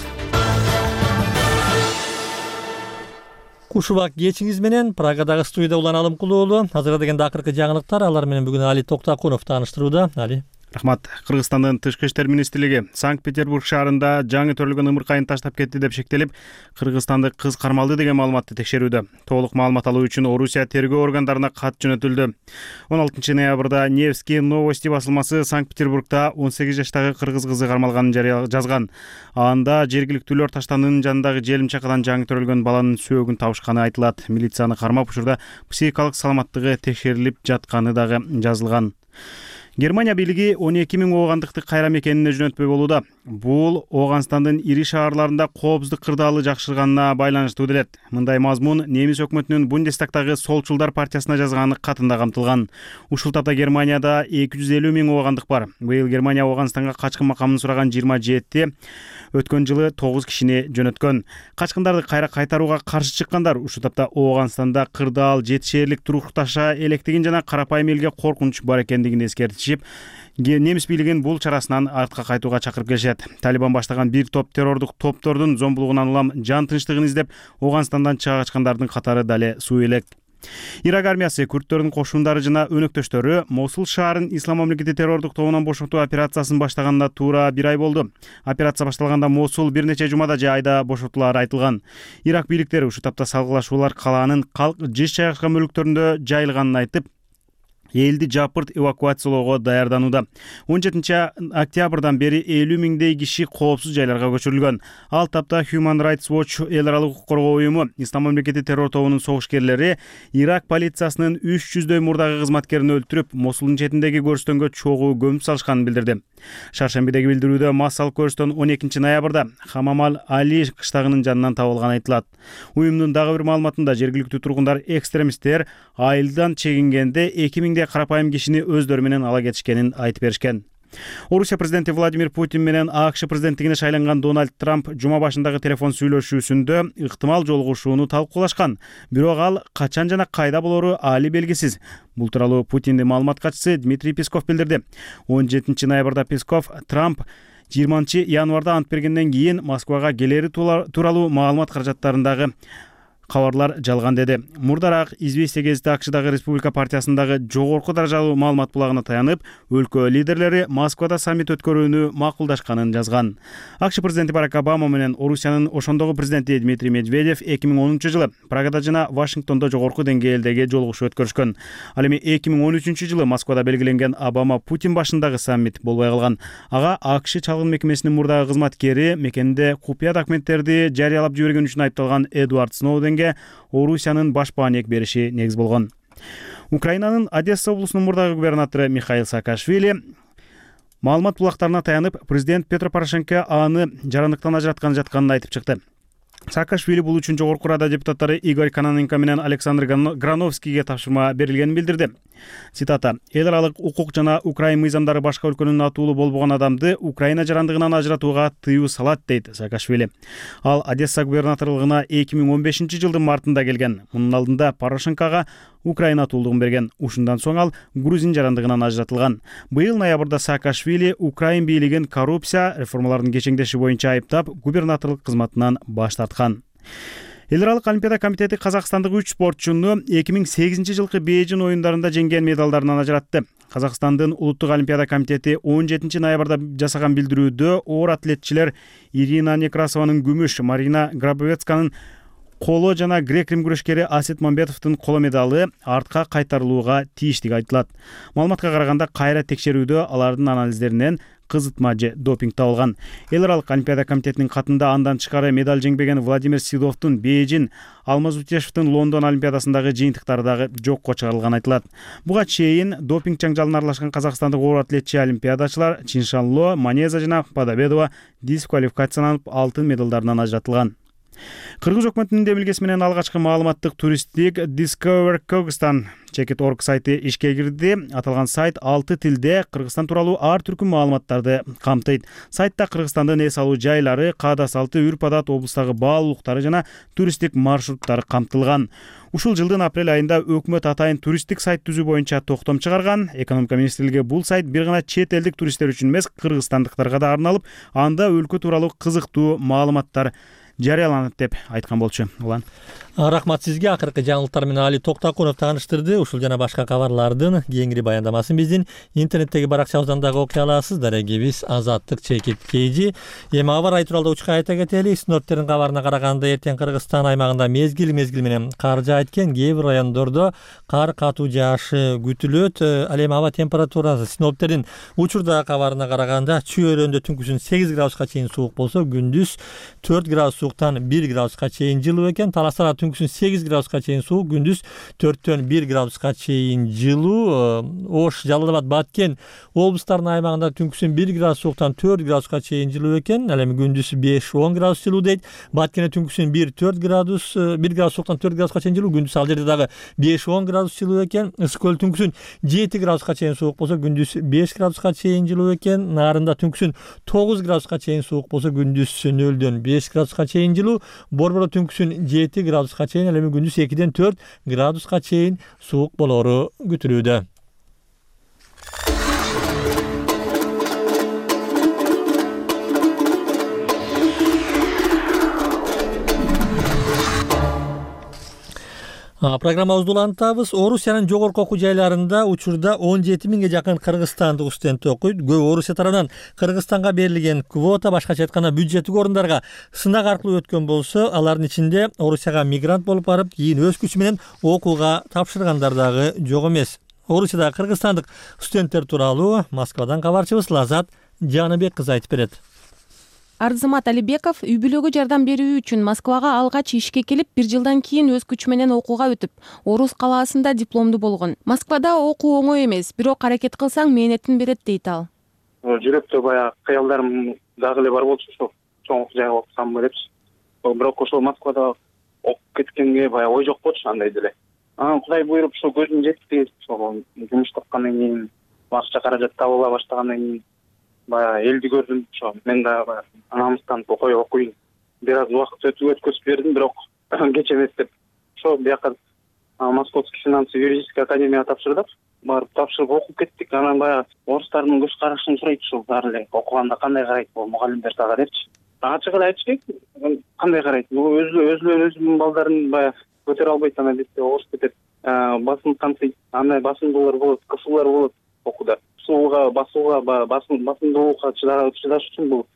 Кушубак кечиңиз менен Прагадагы студияда Улан Алымкулуулу азырдагы акыркы жаңылыктар. Алар менен бүгүн Али Токтакунов тааныштырууда. Али. Рахмат. Кыргызстандын Тышкы иштер министрлиги Санкт-Петербург шаарында жаңы төрөлгөн ымыркайын таштап кетти деп шектелип, кыргызстандык кыз кармалды деген маалыматты текшерүүдө. Толук маалымат алуу үчүн Орусия тергөө органдарына кат жөнөтүлдү. 16 ноябрда Невский новости басылмасы Санкт-Петербургда 18 жаштагы кыргыз кызы кармалганын жазган. Анда жергиликтүүлөр таштанын жанындагы желим чакадан жаңы төрөлгөн баланын сөөгүн табышканы айтылат. Милицияны кармап учурда психикалык саламаттыгы текшерилип жатканы дагы жазылган. Германия бийлиги 12 000 оогандыкты кайра мекенине жөнөтпөй болууда. Бул Ооганстандын ири шаарларында коопсуздук кырдаалы жакшырганына байланыштуу делет. Мындай мазмун немис өкмөтүнүн Бундестагтагы солчулдар партиясына жазган катында камтылган. Ушул тапта Германияда 250 000 оогандык бар. Быйыл Германия Ооганстанга качкын макамын сураган 27, өткөн жылы 9 кишини жөнөткөн. Качкындарды кайра кайтарууга каршы чыккандар ушул тапта Ооганстанда кырдаал, жетишээрлик турукташа электигин жана карапайым элге коркунуч бар экендигин эскертишип, немис бийлигин бул чарасынан артка кайтууга чакырып келишет. Талибан баштаган бир топ террордук топтордун зомбулугунан улам жан тынчтыгын издеп, Ооганстандан чыга качкандардын катары дале суу элек. Ирак армиясы күрттөрдүн кошундары жана өнөктөштөрү Мосул шаарын Ислам мамлекети террордук тобунан бошотуу операциясын баштаганына туура 1 ай болду. Операция башталганда Мосул бир нече жумада же айда бошотулары айтылган. Ирак бийликтери ушул тапта салгылашуулар калаанын калк жыш жайгашкан бөлүктөрүндө жайылганын айтып, элди жапырт эвакуациялоого даярданууда. 17 октябрдан бери 50 000 киши коопсуз жайларга көчүрүлгөн. Ал тапта Human Rights Watch эл аралык укук коргоо уюму Ислам мамлекети террор тобунун согушкерлери Ирак полициясынын 300 мурдагы кызматкерин өлтүрүп, Мосулдун четиндеги көрстөнгө чогуу көмүп салышканын билдирди. Шаршембидеги билдирүүдө массалык көрстөн 12 ноябрда Хамамал Али кыштагынын жанынан табылганы айтылат. Уюмдун дагы бир маалыматында жергиликтүү тургундар экстремисттер айылдан чегингенде 2000 карапайым кишини өздөрү менен ала кетишкенин айтып беришкен. Орусия президенти Владимир Путин менен АКШ президенттигине шайланган Дональд Трамп жума башындагы телефон сүйлөшүүсүндө ыктымал жолугушууну талкуулашкан. Бирок ал качан жана кайда болору али белгисиз. Бул тууралуу Путиндин маалымат катчысы Дмитрий Песков билдирди. 17 ноябрда Песков Трамп 20 январда ант бергенден кийин Москвага келери тууралуу маалымат каражаттарындагы кабарлар жалган деди. Мурдараак Известия гезити АКШдагы Республика партиясындагы жогорку даражалуу маалымат булагына таянып, өлкө лидерлери Москвада саммит өткөрүүнү макулдашканын жазган. АКШ президенти Барак Обама менен Орусиянын ошондогу президенти Дмитрий Медведев 2010 жылы Прагада жана Вашингтондо жогорку деңгээлдеги жолугушуу өткөрүшкөн. Ал эми 2013 жылы Москвада белгиленген Обама Путин башындагы саммит болбой калган. Ага АКШ чалгын мекемесинин мурдагы кызматкери мекенде купуя документтерди жарыялап жиберген үчүн айыпталган Эдвард Сноуденге Орусиянын баш бааник бериши негиз болгон. Украинанын Одесса облусунун мурдагы губернатору Михаил Саакашвили маалымат булактарына таянып, президент Петро Порошенко аны жарандыктан ажыратканы жатканын айтып чыкты. Саакашвили бул үчүн Жогорку Рада депутаттары Игорь Кононенко менен Александр Грановскийге тапшырма берилгенин билдирди. Цитата: "Эл аралык укук жана Украин мыйзамдары башка өлкөнүн натуулуу болбогон адамды Украина жарандыгынан ажыратууга тыюу салат", дейт Саакашвили. Ал Одесса губернаторлугуна 2015 жылдын мартында келген. Мунун алдында Порошенкого Украина натуулдугун берген. Ушундан соң ал Грузин жарандыгынан ажыратылган. Быйыл ноябрда Саакашвили Украин бийлигин коррупция реформалардын кечеңдеши боюнча айыптап, губернаторлук кызматынан баш тарткан. Эл аралык олимпиада комитети казакстандык 3 спортчуну 2008 жылкы Бейжин оюндарында жеңген медалдарынан ажыратты. Казакстандын улуттук олимпиада комитети 17 ноябрда жасаган билдирүүдө оор атлетчилер Ирина Некрасованын күмүш, Марина Грабовецканын коло жана грек-рим күрөшкери Асет Мамбетовдун коло медалы артка кайтарылууга тийиштиги айтылат. Маалыматка караганда, кайра текшерүүдө алардын анализдеринен кызытма же допинг табылган. Эл аралык олимпиада комитетинин катында андан тышкары медаль жеңбеген Владимир Сидовдун Бейжин, Алмаз Утешевдин Лондон олимпиадасындагы жыйынтыктары дагы жокко чыгарылганы айтылат. Буга чейин допинг жаңжалына аралашкан казакстандык оор атлетчи олимпиадачылар Чиншанло, Манеза жана Падабедова дисквалификацияланып алтын медалдарынан ажыратылган. Кыргыз өкмөтүнүн демилгеси менен алгачкы маалыматтык туристтик Discover Kyrgyzstan Checkt.org сайты ишке кирди. Аталган сайт 6 тилде Кыргызстан тууралуу ар түркүм маалыматтарды камтыйт. Сайтта Кыргызстандын эс алуу жайлары, каада салты, үрп-адат, облустагы баалуулуктары жана туристтик маршруттары камтылган. Ушул жылдын апрель айында өкмөт атайын туристтик сайт түзүү боюнча токтом чыгарган. Экономика министрлиги бул сайт бир гана чет элдик туристтер үчүн эмес, кыргызстандыктарга да арналып, анда өлкө тууралуу кызыктуу маалыматтар жарыяланат деп айткан болчу. Улан. Рахмат сизге. Акыркы жаңылыктар менен Али Токтакунов тааныштырды. Ушул жана башка кабарлардын кеңири баяндамасын биздин интернеттеги баракчабыздан дагы окуй аласыз. Дарегибиз Азаттык Чекит KG. Эми аба ырайы тууралуу учка айта кетели. Синоптиктердин кабарына караганда, эртең Кыргызстан аймагында мезгил менен кар жаайт экен. Кээ бир райондордо кар катуу жаашы күтүлөт. Ал эми аба температурасы синоптиктердин учурда кабарына караганда, Чүй-өрөндө түнкүсүн 8 градуска чейин суук болсо, күндүз 4 градус сууктан 1 градуска чейин жылуу экен. Таластарда түнкүсүн 8 градуска чейин суук, күндүз 4төн 1 градуска чейин жылуу. Ош, Жалал Абад, Баткен облустарынын аймагында түнкүсүн 1 градус сууктан 4 градуска чейин жылуу экен. Ал эми күндүз 5-10 градус жылуу дейт. Баткенде түнкүсүн 1 градус сууктан 4 градуска чейин жылуу, күндүз ал жерде дагы 5-10 градус жылуу экен. Ысык-көл түнкүсүн 7 градуска чейин суук болсо, күндүз 5 градуска чейин жылуу экен. Нарында түнкүсүн 9 градуска чейин суук болсо, күндүз 0дөн 5 градуска чейин жылуу. Борбордо түнкүсүн 7 градуска чейин, ал эми күндүз 2ден 4 градуска чейин суук болору күтүлүүдө. Программабызды улантабыз. Орусиянын жогорку окуу жайларында учурда 17 миңге жакын кыргызстандык студент окуйт. Көбү Орусия тарабынан Кыргызстанга берилген квота, башкача айтканда бюджеттик орундарга сынак аркылуу өткөн болсо, алардын ичинде Орусияга мигрант болуп барып, кийин өз күчү менен окууга тапшыргандар дагы жок эмес. Орусияда кыргызстандык студенттер тууралуу Москвадан кабарчыбыз Лазат Жаныбек кызы айтып берет. Арзымат Алибеков үй бүлөгө жардам берүү үчүн Москвага алгач ишке келип, 1 жылдан кийин өз күчү менен окууга өтүп, Орус калаасында дипломду болгон. Москвада окуу оңой эмес, бирок аракет кылсаң мээнетин берет дейт ал. Жүрөктө баягы кыялдарым дагы эле бар болчу, ошо чоң жайга окусам депчи. Бирок ошо Москвада окуп кеткенге баягы ой жок болчу андай деле. Кудай буйруп ошо көзүм жетти, ошо жумуш тапкандан кийин, акча каражат табыла баштагандан кийин баягы элди көрдүм. Ошо мен дагы намыстанып окуйн. Бир аз убакыт өткөзүп бердим, бирок кеч эмес деп. Ошо бияка Московский финансово-юридический академияга тапшырдык. Барып тапшырып окуп кеттик. Анан баягы орустардын көз карашын сурайт, ушул баары эле окуганда кандай карайт бул мугалимдер дагы депчи. Ачык эле айтыш керек, кандай карайт. Бул өзүнүн балдарын баягы көтөрө албайт, анан бизде орус кетет. Басым камтыйт. Андай басымдуулар болот, кысуулар болот окууда. Басымдуулукка чыдаш үчүн бул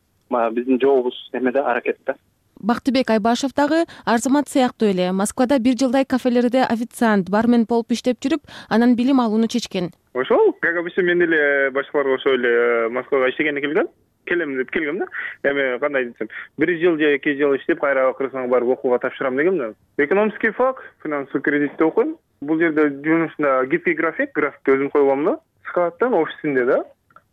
биздин жолубуз эмеде, аракетте. Бактыбек Айбашев дагы Арзымат сыяктуу эле Москвада 1 жылдай кафелерде официант, бармен болуп иштеп жүрүп, анан билим алууну чечкен. Ошол, как обычно, мен эле башкаларга ошо эле Москвага иштегенге келем деп келгем да. Эми кандай десем, 1 жыл же 2 жыл иштеп, кайра Кыргызстанга барып окууга тапшырам дегем да. Экономический фак, финансовый кредитте окуйм. Бул жерде жумушунда гибкий графикти өзүм коюлам да. Складтан офисинде да.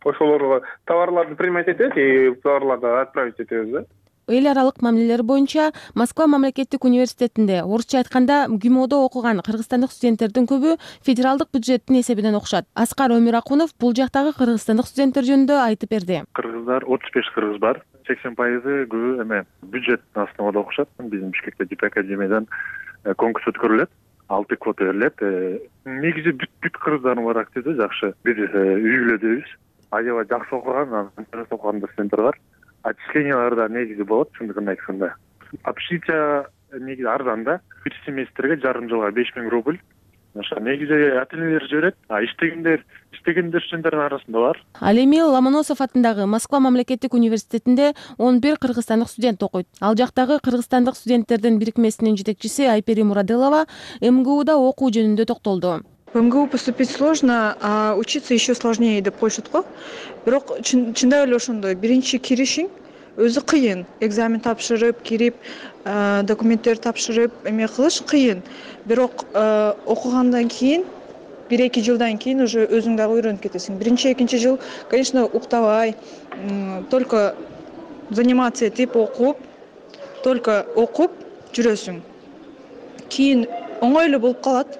Ошолорго товарларды принимать этет и товарларды отправить этебиз да. эл аралык мамилелер боюнча Москва мамлекеттик университетинде, орусча айтканда ГИМОдо окуган кыргызстандык студенттердин көбү федералдык бюджеттин эсебинен окушат. Аскар Өмүракунов бул жактагы кыргызстандык студенттер жөнүндө айтып берди. Кыргыздар 35 кыргыз бар. 80% көбү эме бюджеттин основада окушат. Биздин Бишкекте ЖП академиядан конкурс өткөрүлөт. 6 квота берилет. Негизи бүт кыргыздардын бар активдүү жакшы. Бир үй бүлөдөбүз. Аябай жакшы окуган, интернет окуган студенттер бар. Отчислениялар да негизи болот, чындыгын айтканда. Общежитие негизи арзан да. Бир семестрге жарым жылга 5000 рубль. Ошо негизи ата-энелер жиберет. Иштегендер студенттердин арасында бар. Ал эми Ломоносов атындагы Москва мамлекеттик университетинде 11 кыргызстандык студент окуйт. Ал жактагы кыргызстандык студенттердин бирикмесинин жетекчиси Айпери Мураделова МГУда окуу жөнүндө токтолду. В МГУ поступить сложно, а учиться еще сложнее деп коюшат го. Бирок чындап эле ошондой. Биринчи киришиң өзү кыйын. Экзамен тапшырып, кирип, документтер тапшырып, эме кылыш кыйын. Бирок окугандан кийин 1-2 жылдан кийин уже өзүң дагы үйрөнүп кетесиң. Биринчи, экинчи жыл, конечно, уктабай, только заниматься этип окуп, только окуп жүрөсүң. Кийин оңой эле болуп калат.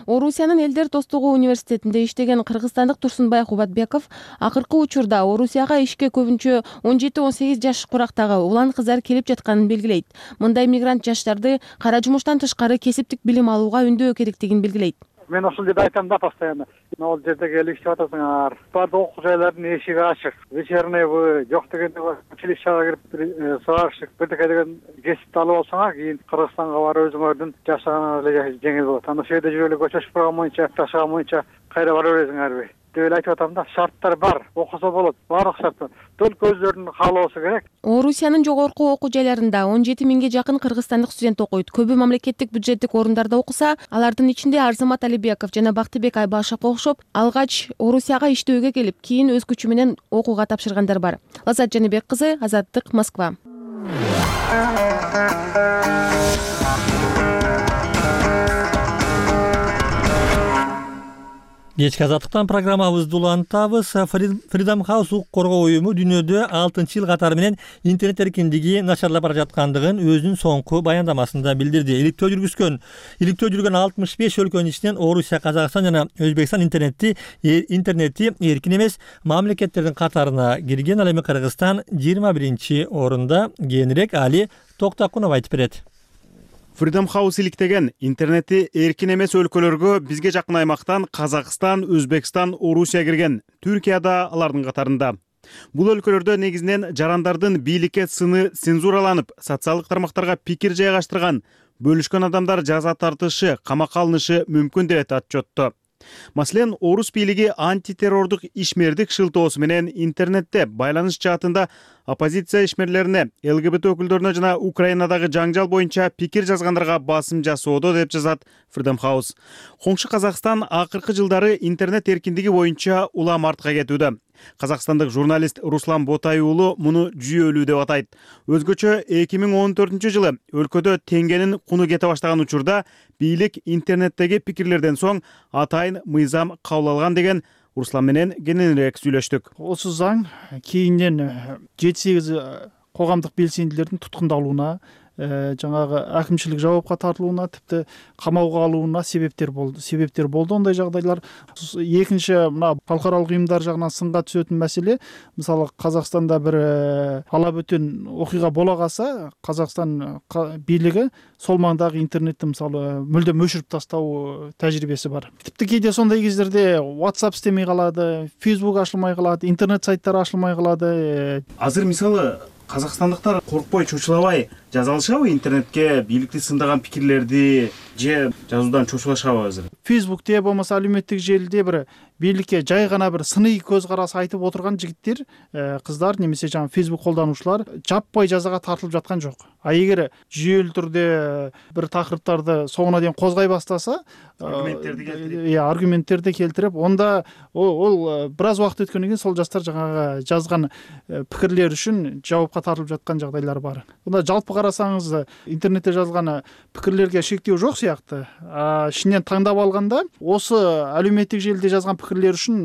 Орусиянын Элдер достугу университетинде иштеген кыргызстандык Турсунбай Кубатбеков акыркы учурда Орусияга ишке көбүнчө 17-18 жаш курактагы улан кыздар келип жатканын белгилейт. Мындай мигрант жаштарды кара жумуштан тышкары кесиптик билим алууга үндөө керектигин белгилейт. Мен ошол жерде айтам да постоянно. Ал жерде келип иштеп атасыңар. Баардык окуу жайлардын эшиги ачык. Вечерневый жок дегенде училищага кирип сварщик бирдеке деген кесипти алып алсаңар, кийин Кыргызстанга барып өзүңөрдүн жашаганыңар эле жеңил болот. Анда ошол жерде жүрүп эле көчөчүп турган боюнча, жашаган боюнча кайра бара бересиңерби деп эле айтып атам да. Шарттар бар, окусо болот. Баардык шарт бар. Только өзлөрүнүн каалоосу керек. Орусиянын жогорку окуу жайларында 17 миңге жакын кыргызстандык студент окуйт. Көбү мамлекеттик бюджеттик орундарда окуса, алардын ичинде Арзамат Алибеков жана Бактыбек Айбашев окшоп, алгач Орусияга иштөөгө келип, кийин өз күчү менен окууга тапшыргандар бар. Лазат Жаныбек кызы, Азаттык, Москва. Кечки азаттыктан программабызды улантабыз. Freedom House укук коргоо уюму дүйнөдө 6-жыл катары менен интернет эркиндиги начарлап бара жаткандыгын өзүнүн соңку баяндамасында билдирди. Иликтөө жүргүзгөн 65 өлкөнүн ичинен Орусия, Казакстан жана Өзбекстан интернети эркин эмес мамлекеттердин катарына кирген. Ал эми Кыргызстан 21-орунда. Кийинирээк Али Токтакунов айтып берет. Freedom House иликтеген интернети эркин эмес өлкөлөргө бизге жакын аймактан Казакстан, Өзбекстан, Орусия кирген. Түркия да алардын катарында. Бул өлкөлөрдө негизинен жарандардын бийликке сыны цензураланып, социалдык тармактарга пикир жайгаштырган, бөлүшкөн адамдар жаза тартышы, камакка алынышы мүмкүн деп отчетту. Маселен, Орус бийлиги антитеррордук ишмердик шылтоосу менен интернетте байланыш жаатында оппозиция ишмерлерине, ЛГБТ өкүлдөрүнө жана Украинадагы жаңжал боюнча пикир жазгандарга басым жасоодо деп жазат Freedom House. Коңшу Казакстан акыркы жылдары интернет эркиндиги боюнча улам артка кетүүдө. Казакстандык журналист Руслан Ботай уулу муну жүйөлүү деп атайт. Өзгөчө 2014-жылы өлкөдө теңгенин куну кете баштаган учурда бийлик интернеттеги пикирлерден соң атайын мыйзам кабыл алган деген Руслан менен кененирээк сүйлөштүк. Осы заң кейинен 7-8 коомдук белсендилердин туткундалууна, жаңагы акимчилик жабапка тартылууна, типти камауга алууна себептер болду ондай жагдайлар. Экинчи мына халыкаралык уюмдар жагынан сынга түшөтүн маселе, мисалы Казакстанда бир ала бөтөн окуйга бола калса, Казакстан бийлиги сол маңдагы интернетти мисалы мүлдем өчүрүп тастоо тажрыйбеси бар. Типти кээде сондай кездерде WhatsApp иштемей калады, Facebook ачылмай калат, интернет сайттары ачылмай калады. Азыр мисалы казакстандыктар коркпой, чочулабай жаза алышабы интернетке бийликти сындаган пикирлерди же жазуудан чочулашабы азыр? Facebook'те болмаса алюметтик желиде бир бийликке жай гана бир сыний көз карасы айтып отурган жигиттер, кыздар немесе жаңа Facebook колдонуучулар жаппай жазага тартылып жаткан жок. А эгер жүйөлүү түрдө бир такырыптарды соңуна дейин козгой баштаса, аргументтерди келтирип, онда ол бир аз убакыт өткөндөн кийин сол жаштар жаңага жазган пикирлер үчүн жабапка тартылып жаткан жагдайлар бар. Мында жалпы карасаңыз интернетте жазган пикирлерге шектөө жок сыяктуу. Ишинен таңдап алганда осы әлеуметтик желиде жазган пикирлер үчүн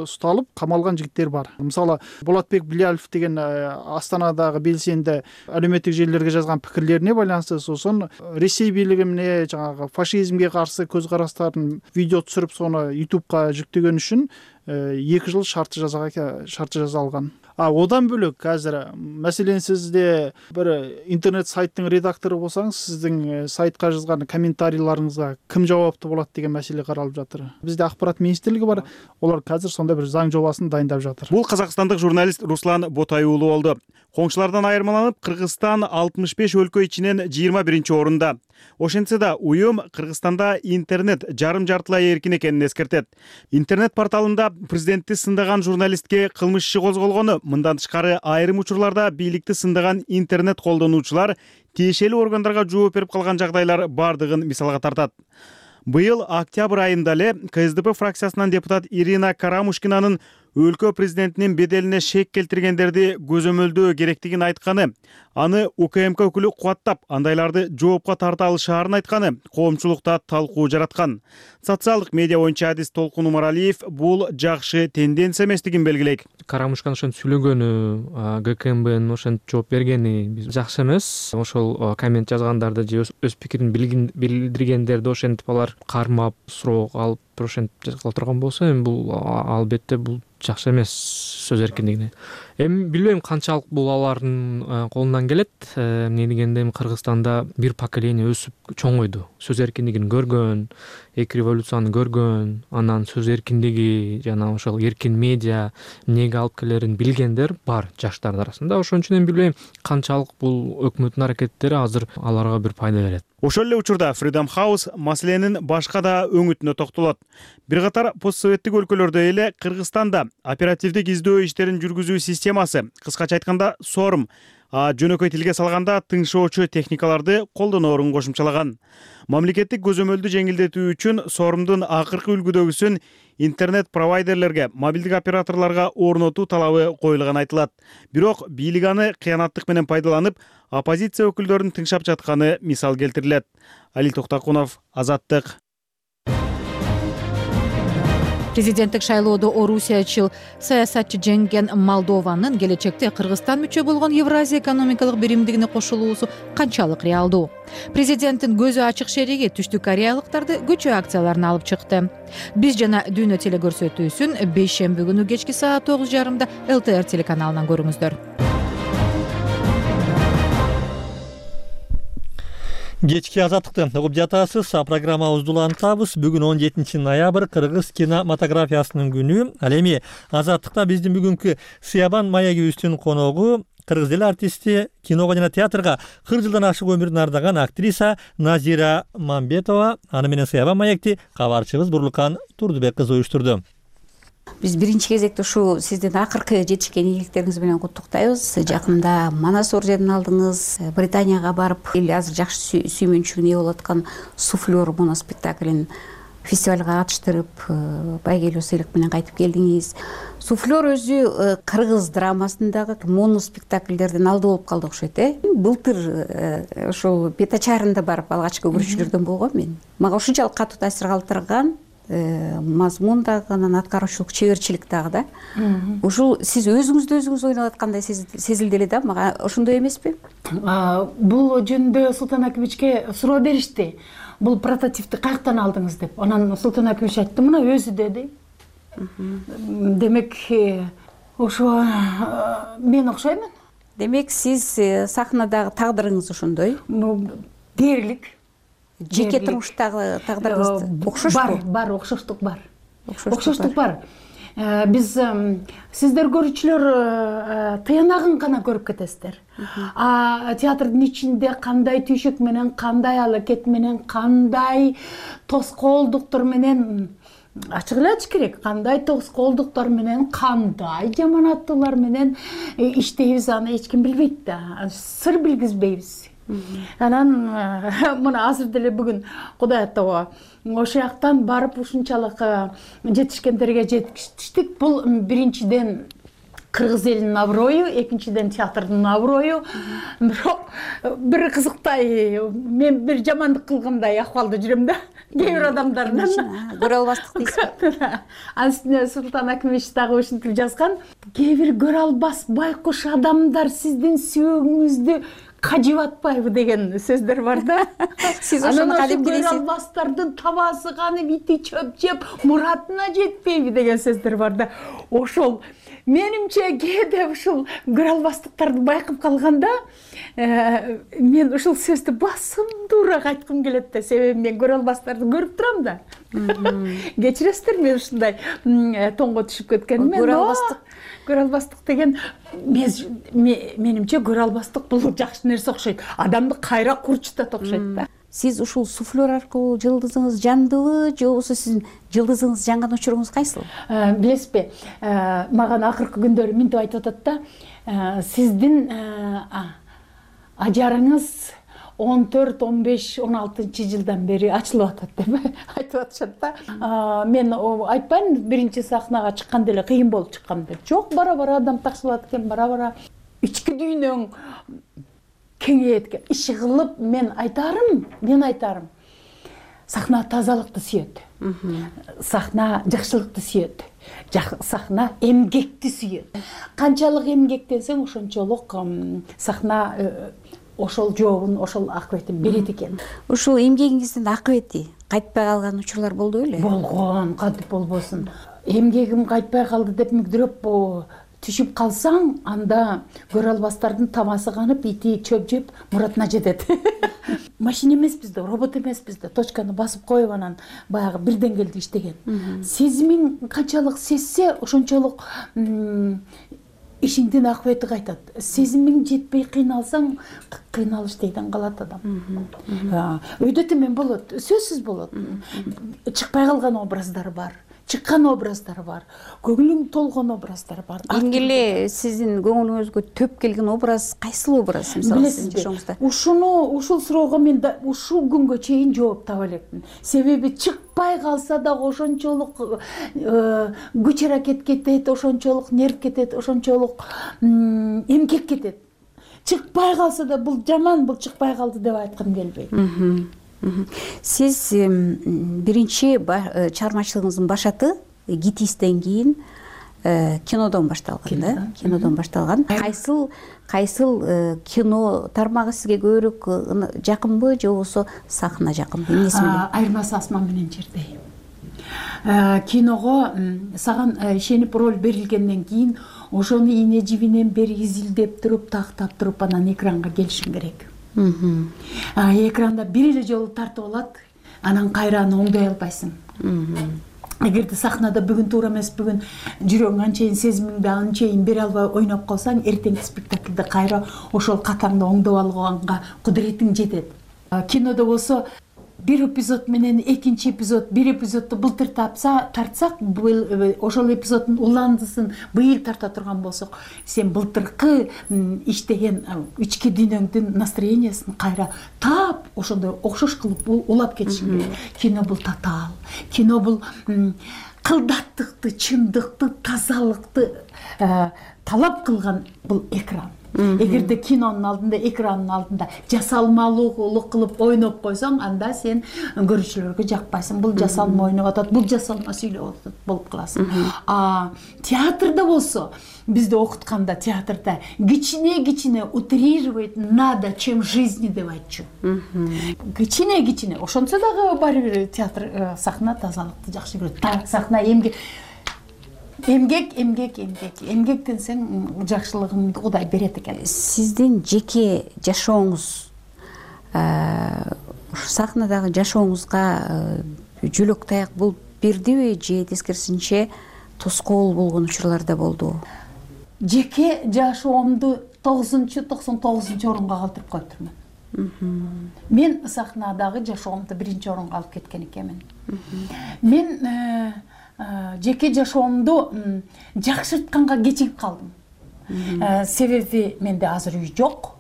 усталып камалган жигиттер бар. Мисалы Болотбек Билялов деген Астанадагы белсенди әлеуметтик желилерге жазган пикирлерине байланыштуу сосон Ресей бийлигине жаңагы фашизмге каршы көз караштарын видео түшүрүп сону YouTube'га жүктөгөн үчүн 2 жыл шартты жаза алган. Одан бөлөк азыр маселен сизде бир интернет сайттын редактору болсаңыз, сиздин сайтка жазган комментарийларыңызга ким жооптуу болот деген маселе каралып жатыр. Бизде Акпарат министрлиги бар, олар азыр сондай бир заң жобасын дайындап жатыр. Бул казакстандык журналист Руслан Ботай уулу болду. Коңшулардан айырмаланып, Кыргызстан 65 өлкө ичинен 21 орунда. Ошентсе да уюм Кыргызстанда интернет жарым-жартылай эркин экенин эскертет. Интернет порталында президентти сындаган журналистке кылмыш иши козголгону, мындан тышкары айрым учурларда бийликти сындаган интернет колдонуучулар тиешелүү органдарга жооп берип калган жагдайлар бардыгын мисалга тартат. Быйыл октябрь айында эле КСДП фракциясынан депутат Ирина Карамушкинанын өлкө президентинин беделине шек келтиргендерди көзөмөлдөө керектигин айтканы, аны УКМК өкүлү кубаттап, андайларды жоопко тарта алышаарын айтканы коомчулукта талкуу жараткан. Социалдык медиа боюнча адис Толкун Умаралиев бул жакшы тенденция эместигин белгилейт. Карамушкан ошентип сүйлөгөнү, ГКМБнын ошентип жооп бергени жакшы эмес. Ошол коммент жазгандарды же өз пикирин билдиргендерди ошентип алар кармап, суроо алып ошентип жазгыла турган болсо, эми бул албетте бул жакшы эмес сөз эркиндигине. Эми билбейм канчалык бул алардын колунан келет. Эмне дегенде Кыргызстанда бир поколение өсүп чоңойду. Сөз эркиндигин көргөн, эки революцияны көргөн, анан сөз эркиндиги жана ошол эркин медиа эмнеге алып келерин билгендер бар жаштар арасында. Ошон үчүн эми билбейм канчалык бул өкмөттүн аракеттери азыр аларга бир пайда берет. Ошол эле учурда Freedom House маселенин башка да өңүтүнө токтолот. Бир катар постсоветтик өлкөлөрдө эле Кыргызстанда оперативдик издөө иштерин жүргүзүү системасы, кыскача айтканда SORM, жөнөкөй тилге салганда тыңшоочу техникаларды колдоноорун кошумчалаган. Мамлекеттик көзөмөлдү жеңилдетүү үчүн SORMдун акыркы үлгүдөгүсүн интернет провайдерлерге, мобилдик операторлорго орнотуу талабы коюлган айтылат. Бирок бийлик аны кыянаттык менен пайдаланып, оппозиция өкүлдөрүн тыңшап жатканы мисал келтирилет. Алил Токтакунов, Азаттык. Президенттик шайлоодо орусиячыл саясатчы жеңген Молдованын келечекте Кыргызстан мүчө болгон Евразия экономикалык биримдигине кошулуусу канчалык реалдуу? Президенттин көзү ачык шериги түштүк кореялыктарды көчө акцияларына алып чыкты. Биз жана дүйнө телекөрсөтүүсүн бейшемби күнү кечки саат 9:30 ЛТР телеканалынан көрүңүздөр. Кечки азаттыкты угуп жатасыз. Программабызды улантабыз. Бүгүн 17 ноябрь кыргыз кинематографиясынын күнү. Ал эми азаттыкта биздин бүгүнкү Сыябан маегибиздин коногу кыргыз эл артисти, киного жана театрга 40 жылдан ашык өмүрүн ардаган актриса Назира Мамбетова. Аны менен Сыябан маекти кабарчыбыз Бурлукан Турдубек кызы уюштурду. Биз биринчи кезекте ушу сиздин акыркы жетишкен ийгиликтериңиз менен куттуктайбыз. Жакында Манас орденин алдыңыз, Британияга барып, эл азыр жакшы сүймөнчүлүгүнө ээ болуп аткан Суфлер моноспектаклин фестивалга катыштырып, байгелүү сыйлык менен кайтып келдиңиз. Суфлер өзү кыргыз драмасындагы моноспектакльдердин алды болуп калды окшойт, Былтыр ошол Петачарында барып алгачкы көрүүчүлөрдөн болгом мен. Мага ушунчалык катуу таасир калтырган мазмун дагы, анан аткаруучулук, чеберчилик дагы да. Ушул сиз өзүңүздү өзүңүз ойноп аткандай сезилди эле да, мага ошондой эмеспи? Бул жөнүндө Султан Акибичке суроо беришти. Бул прототипти каяктан алдыңыз деп. Анан Султан Акибич айтты, мына өзү деди. Демек, ошо мен окшоймун. Демек, сиз сахнадагы тагдырыңыз ошондой? Дээрлик. Жеке турмуштагы тагдырыңызды окшошпу? Бар, окшоштук бар. Окшоштук бар. Биз сиздер көрүүчүлөр тыянагын гана көрүп кетесиздер. Театрдын ичинде кандай түйшөк менен, кандай алакет менен, кандай тоскоолдуктар менен ачык эле айтыш керек. Кандай тоскоолдуктар менен, кандай жаманаттуулар менен иштейбиз, аны эч ким билбейт да. Сыр билгизбейбиз. Анан мына азыр деле бүгүн Кудай аттоо ошол жактан барып ушунчалык жетишкендерге жетиштик. Бул биринчиден кыргыз элинин аброю, экинчиден театрдын аброю. Бирок бир кызыктай, мен бир жамандык кылгандай акыбалда жүрөм да. Кээ бир адамдардан көрө албастык дейсиз. Анын үстүнө Султан Акимович дагы ушинтип жазган. Кээ бир көрө албас байкуш адамдар сиздин сүйөгүңүздү кажып атпайбы деген сөздөр бар да. Сиз ошону кадим көрө албастардын табасы канып, ити чөп жеп, муратына жетпейби деген сөздөр бар да. Ошол менимче кээде ушул көрө албастыктарды байкап калганда, мен ушул сөздү басымдуураак айткым келет да, себеби мен көрө албастарды көрүп турам да. Кечиресиздер, мен ушундай тоңго түшүп кеткеним. Көрө албастык деген менимче көрө албастык бул жакшы нерсе окшойт. Адамды кайра курчутат окшойт да. Сиз ушул суфлер аркылуу жылдызыңыз жандыбы, же болбосо сиздин жылдызыңыз жанган учуруңуз кайсыл? Билесизби, мага акыркы күндөрү минтип айтып атат да, сиздин ажарыңыз 14, 15, 16 жылдан бери ачылып атат деп айтып атышат да. Мен айтпайм, биринчи сахнага чыкканда эле кыйын болуп чыккан деп. Жок, бара-бара адам такшылат экен, бара-бара ички дүйнөң кеңейет экен. Иши кылып мен айтарым. Сахна тазалыкты сүйөт. Сахна жакшылыкты сүйөт. Сахна эмгекти сүйөт. Канчалык эмгектенсең, ошончолук сахна ошол жообун, ошол акыбетин берет экен. Ушул эмгегиңиздин акыбети кайтпай калган учурлар болду беле? Болгон, кантип болбосун. Эмгегим кайтпай калды деп мүгдүрөп түшүп калсаң, анда көрө албастардын тамасы канып, ити чөп жеп, муратына жетет. Машина эмеспиз да, робот эмеспиз да, точканы басып коюп анан баягы бир деңгээлде иштеген. Сезимиң канчалык сезсе, ошончолук ишиңдин акыбети кайтат. Сезимиң жетпей кыйналсаң, кыйналыш дейден калат адам. Өйдө темен болот, сөзсүз болот. Чыкпай калган образдар бар. Чыккан образдар бар, көңүлүң толгон образдар бар. Эң эле сиздин көңүлүңүзгө төп келген образ кайсыл образ, мисалы сиздин жашооңузда? Ушул суроого мен ушул күнгө чейин жооп таба элекмин. Себеби чыкпай калса да ошончолук күч аракет кетет, ошончолук нерв кетет, ошончолук эмгек кетет. Чыкпай калса да бул жаман, бул чыкпай калды деп айткым келбейт. Сиз биринчи чыгармачылыгыңыздын башаты Гитистен кийин кинодон башталган да? Кинодон башталган. Кайсыл кино тармагы сизге көбүрөөк жакынбы, же болбосо сахна жакынбы? Эмнеси менен? Айырмасы асман менен жердей. Киного саган ишенип роль берилгенден кийин ошону ийне жибинен бери изилдеп туруп, тактап туруп анан экранга келишиң керек. Экранда бир эле жолу тартып алат, анан кайра аны оңдой албайсың. Эгерде сахнада бүгүн туура эмес, бүгүн жүрөгүң анчейин, сезимиңди анчейин бере албай ойноп калсаң, эртеңки спектакльде кайра ошол катаңды оңдоп алганга кудуретиң жетет. Кинодо болсо бир эпизод менен экинчи эпизод, бир эпизодду былтыр тартсак, ошол эпизоддун уландысын быйыл тарта турган болсок, сен былтыркы иштеген ички дүйнөңдүн настроениясын кайра таап, ошондой окшош кылып улап кетишиң керек. Кино бул татаал. Кино бул кылдаттыкты, чындыкты, тазалыкты талап кылган бул экран. Эгерде кинонун алдында, экранын алдында жасалмалуулук кылып ойноп койсоң, анда сен көрүүчүлөргө жакпайсың. Бул жасалма ойноп атат, бул жасалма сүйлөп атат болуп каласың. Театрда болсо, бизди окутканда театрда кичине утрировать надо, чем жизни деп айтчу. Кичине. Ошончо дагы баары бир театр сахна тазалыкты жакшы көрөт. Сахна эмгектенсең жакшылыгыңды Кудай берет экен. Сиздин жеке жашооңуз сахнадагы жашооңузга жөлөк таяк болуп бердиби, же тескерисинче тоскоол болгон учурлар да болду? Жеке жашоомду 99 орунга калтырып коюптурмун. Мен сахнадагы жашоомду 1-орунга алып кеткен экенмин. Мен жеке жашоомду жакшыртканга кечигип калдым. Себеби менде азыр үй жок.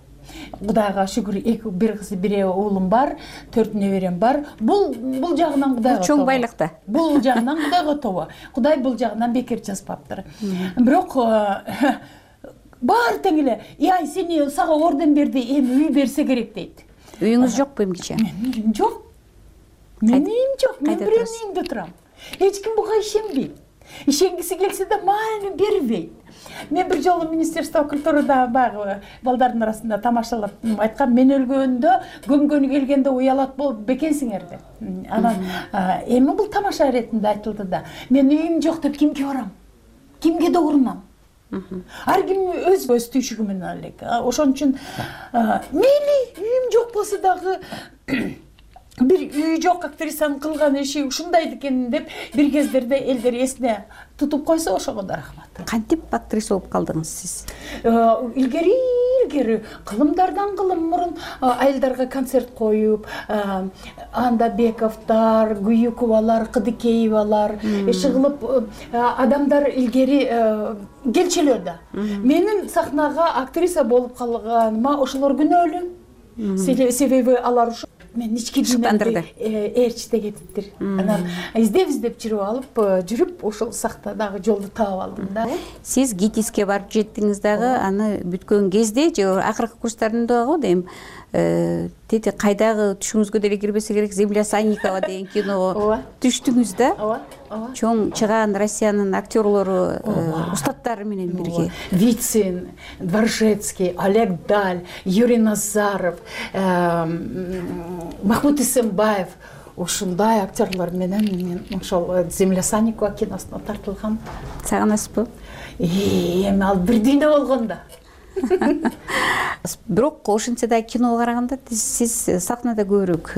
Кудайга шүгүр, бир кыз бир уулум бар, 4 неберем бар. Бул жагынан Кудайга чоң байлыкта. Бул жагынан Кудайга тобо. Кудай бул жагынан бекер жазбаптыр. Бирок баары тең эле, ай сени сага орден берди, эми үй берсе керек дейт. Үйүңүз жокпу эмгиче? Менин жок. Менин үйүм жок. Мен бирөөнүн үйүндө турам. Эч ким буга ишенбейт. Ишенгиси келсе да маани бербейт. Мен бир жолу Министерство культурада баягы балдардын арасында тамашалап айткам, мен өлгөндө көмгөнү келгенде уялат болуп бекенсиңер деп. Анан эми бул тамаша иретинде айтылды да. Мен үйүм жок деп кимге барам? Кимге да урунам? Ар ким өз түйшүгү менен элек. Ошон үчүн мейли үйүм жок болсо дагы бир үйү жок актрисанын кылган иши ушундай экен деп бир кездерде элдер эсине тутуп койсо ошого да рахмат. Кантип актриса болуп калдыңыз сиз? Илгери кылымдардан кылым мурун айылдарга концерт коюп, анда Бековдор, Гуюковалар, Кыдыкеевалар иши кылып адамдар илгери келчүлөр да. Менин сахнага актриса болуп калганыма ошолор күнөөлүү. Себеби алар ушу мен ички дүйнөмдү ээрчите кетиптир. Анан издеп жүрүп ошол сахнадагы жолду таап алдым да. Сиз ГИТИСке барып жеттиңиз дагы, аны бүткөн кезде же акыркы курстарында го дейм, тети кайдагы түшүңүзгө деле кирбесе керек, Земля Санникова деген киного түштүңүз да. Ооба. Чоң чыгаан Россиянын актерлору, устаттары менен бирге. Вицин, Дворжецкий, Олег Даль, Юрий Назаров, Махмуд Исенбаев, ушундай актерлор менен мен ошол Земля Санникова киносуна тартылгам. Сагынасызбы? Эми ал бир дүйнө болгондо. Бирок ошентсе да киного караганда сиз сахнада көбүрөөк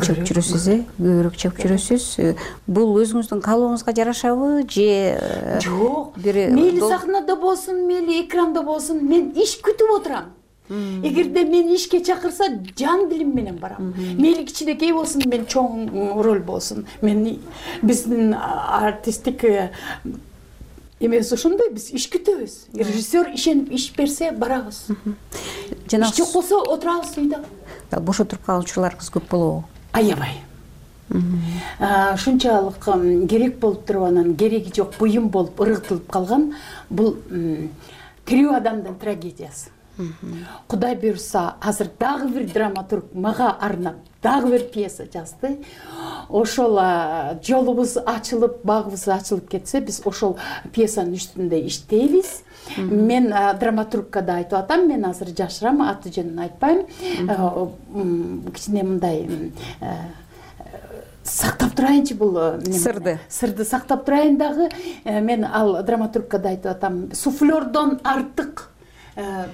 чыгып жүрөсүз, көбүрөөк чыгып жүрөсүз. Бул өзүңүздүн каалооңузга жарашабы же жок? Мейли сахнада болсун, мейли экранда болсун, мен иш күтүп отурам. Эгерде мен ишке чакырса, жан дилим менен барам. Мейли кичинекей болсун, мен чоң роль болсун. Мен биздин артисттик эмес ошондой, биз иш күтөбүз. Режиссер ишенип иш берсе барабыз. Иш жок болсо отурабыз үйдө. Бош отуруп калган учурларыңыз көп болобу? Аябай. Шунчалык керек болуп туруп, анан кереги жок буюм болуп ыргытылып калган. Бул тирүү адамдын трагедиясы. Кудай буйрса, азыр дагы бир драматург мага арнап дагы бир пьеса жазды. Ошол жолубуз ачылып, багыбыз ачылып кетсе, биз ошол пьесанын үстүндө иштейбиз. Мен драматургка да айтып атам, мен азыр жашырам, аты жөнүн айтпайм. Кичине мындай сактап турайынчы бул сырды сактап турайын дагы. Мен ал драматургка да айтып атам, суфлердон артык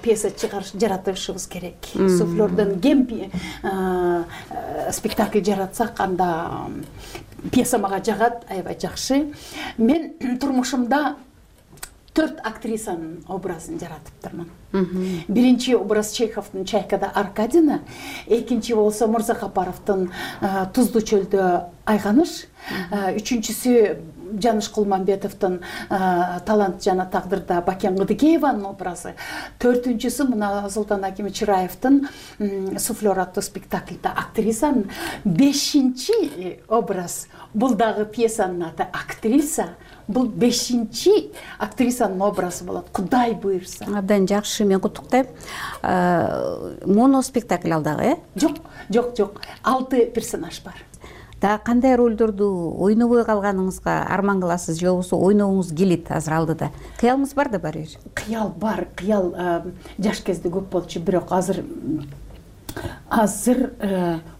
пьеса жаратышыбыз керек. Суфлердон кем спектакль жаратсак, анда пьеса мага жагат, аябай жакшы. Мен турмушумда 4 актрисанын образын жаратыптырмын. Биринчи образ Чеховдун Чайкада Аркадина, экинчи болсо Мырзакапаровдун Туздуу чөлдө Айганыш, үчүнчүсү Жаныш Кулмамбетовдун Талант жана тагдырда Бакен Кыдыкееванын образы, төртүнчүсү мына Султан Аким Чыраевдин Суфлер аттуу спектакльда актрисанын, бешинчи образ бул дагы пьесанын аты актриса. Бул 5-чи актрисанын образы болот, Кудай буйрса. Абдан жакшы, мен куттуктайм. Моно спектакль ал дагы, Жок. 6 персонаж бар. Да кандай ролдорду ойнобой калганыңызга арман кыласыз, же болбосо ойногуңуз келет азыр алдыда? Кыялыңыз бар да барбыр? Кыял бар, кыял жаш кезде көп болчу, бирок азыр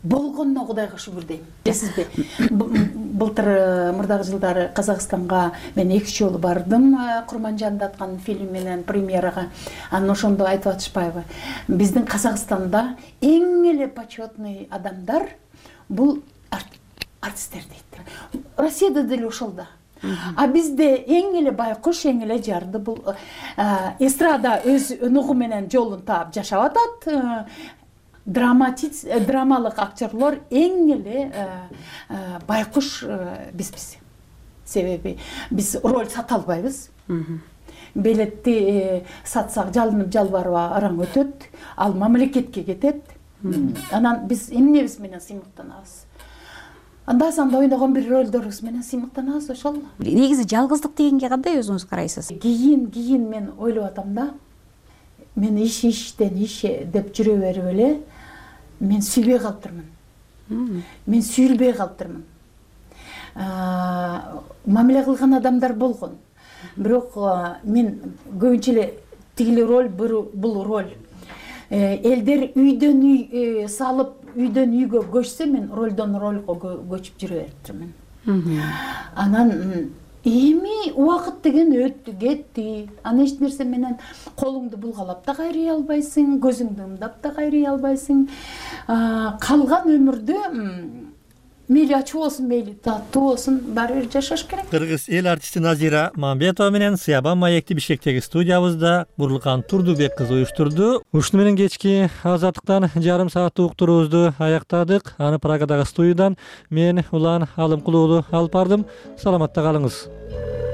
болгонуна Кудайга шүгүр дейм. Билесизби? Былтыр мурдагы жылдары Казакстанга мен 2 жолу бардым, Курманжанды аткан фильм менен премьерага. Анан ошондо айтып атышпайбы? Биздин Казакстанда эң эле почетный адамдар бул артисттер дейт. Россияда деле ошол да. А бизде эң эле байкуш, эң эле жарды бул эстрада өз өнөгү менен жолун таап жашап атат. Драмалык актерлор эң эле байкуш бизбиз. Себеби биз роль сата албайбыз. билетти сатсак жалынып жалбарып араң өтөт, ал мамлекетке кетет. Анан биз эмнебиз менен сыймыктанабыз? Анда санда ойногон бир ролдорубуз менен сыймыктанабыз, ошол. Негизи жалгыздык дегенге кандай өзүңүз карайсыз? Кийин мен ойлоп атам да. Мен иштен иш деп жүрө берип эле мен сүйбөй калыптырмын. Мен сүйүлбөй калыптырмын. Мамиле кылган адамдар болгон. Бирок мен көбүнчө эле тигили роль, бул роль. Элдер үйдөн үй салып, үйдөн үйгө көчсө, мен ролдон ролго көчүп жүрө бериптирмин. Анан эми убакыт деген өттү, кетти. Аны эч нерсе менен колуңду булгалап да кайрый албайсың, көзүңдү ымдап да кайрый албайсың. Калган өмүрдө мейли ачуу болсун, мейли таттуу болсун, баары бир жашаш керек. Кыргыз эл артисти Назира Мамбетова менен Сыябан маекти Бишкектеги студиябызда Бурлукан Турдубек кызы уюштурду. Ушуну менен кечки азаттыктан жарым сааттык уктуруубузду аяктадык. Аны Прагадагы студиядан мен Улан Алымкулуулу алып бардым. Саламатта калыңыз.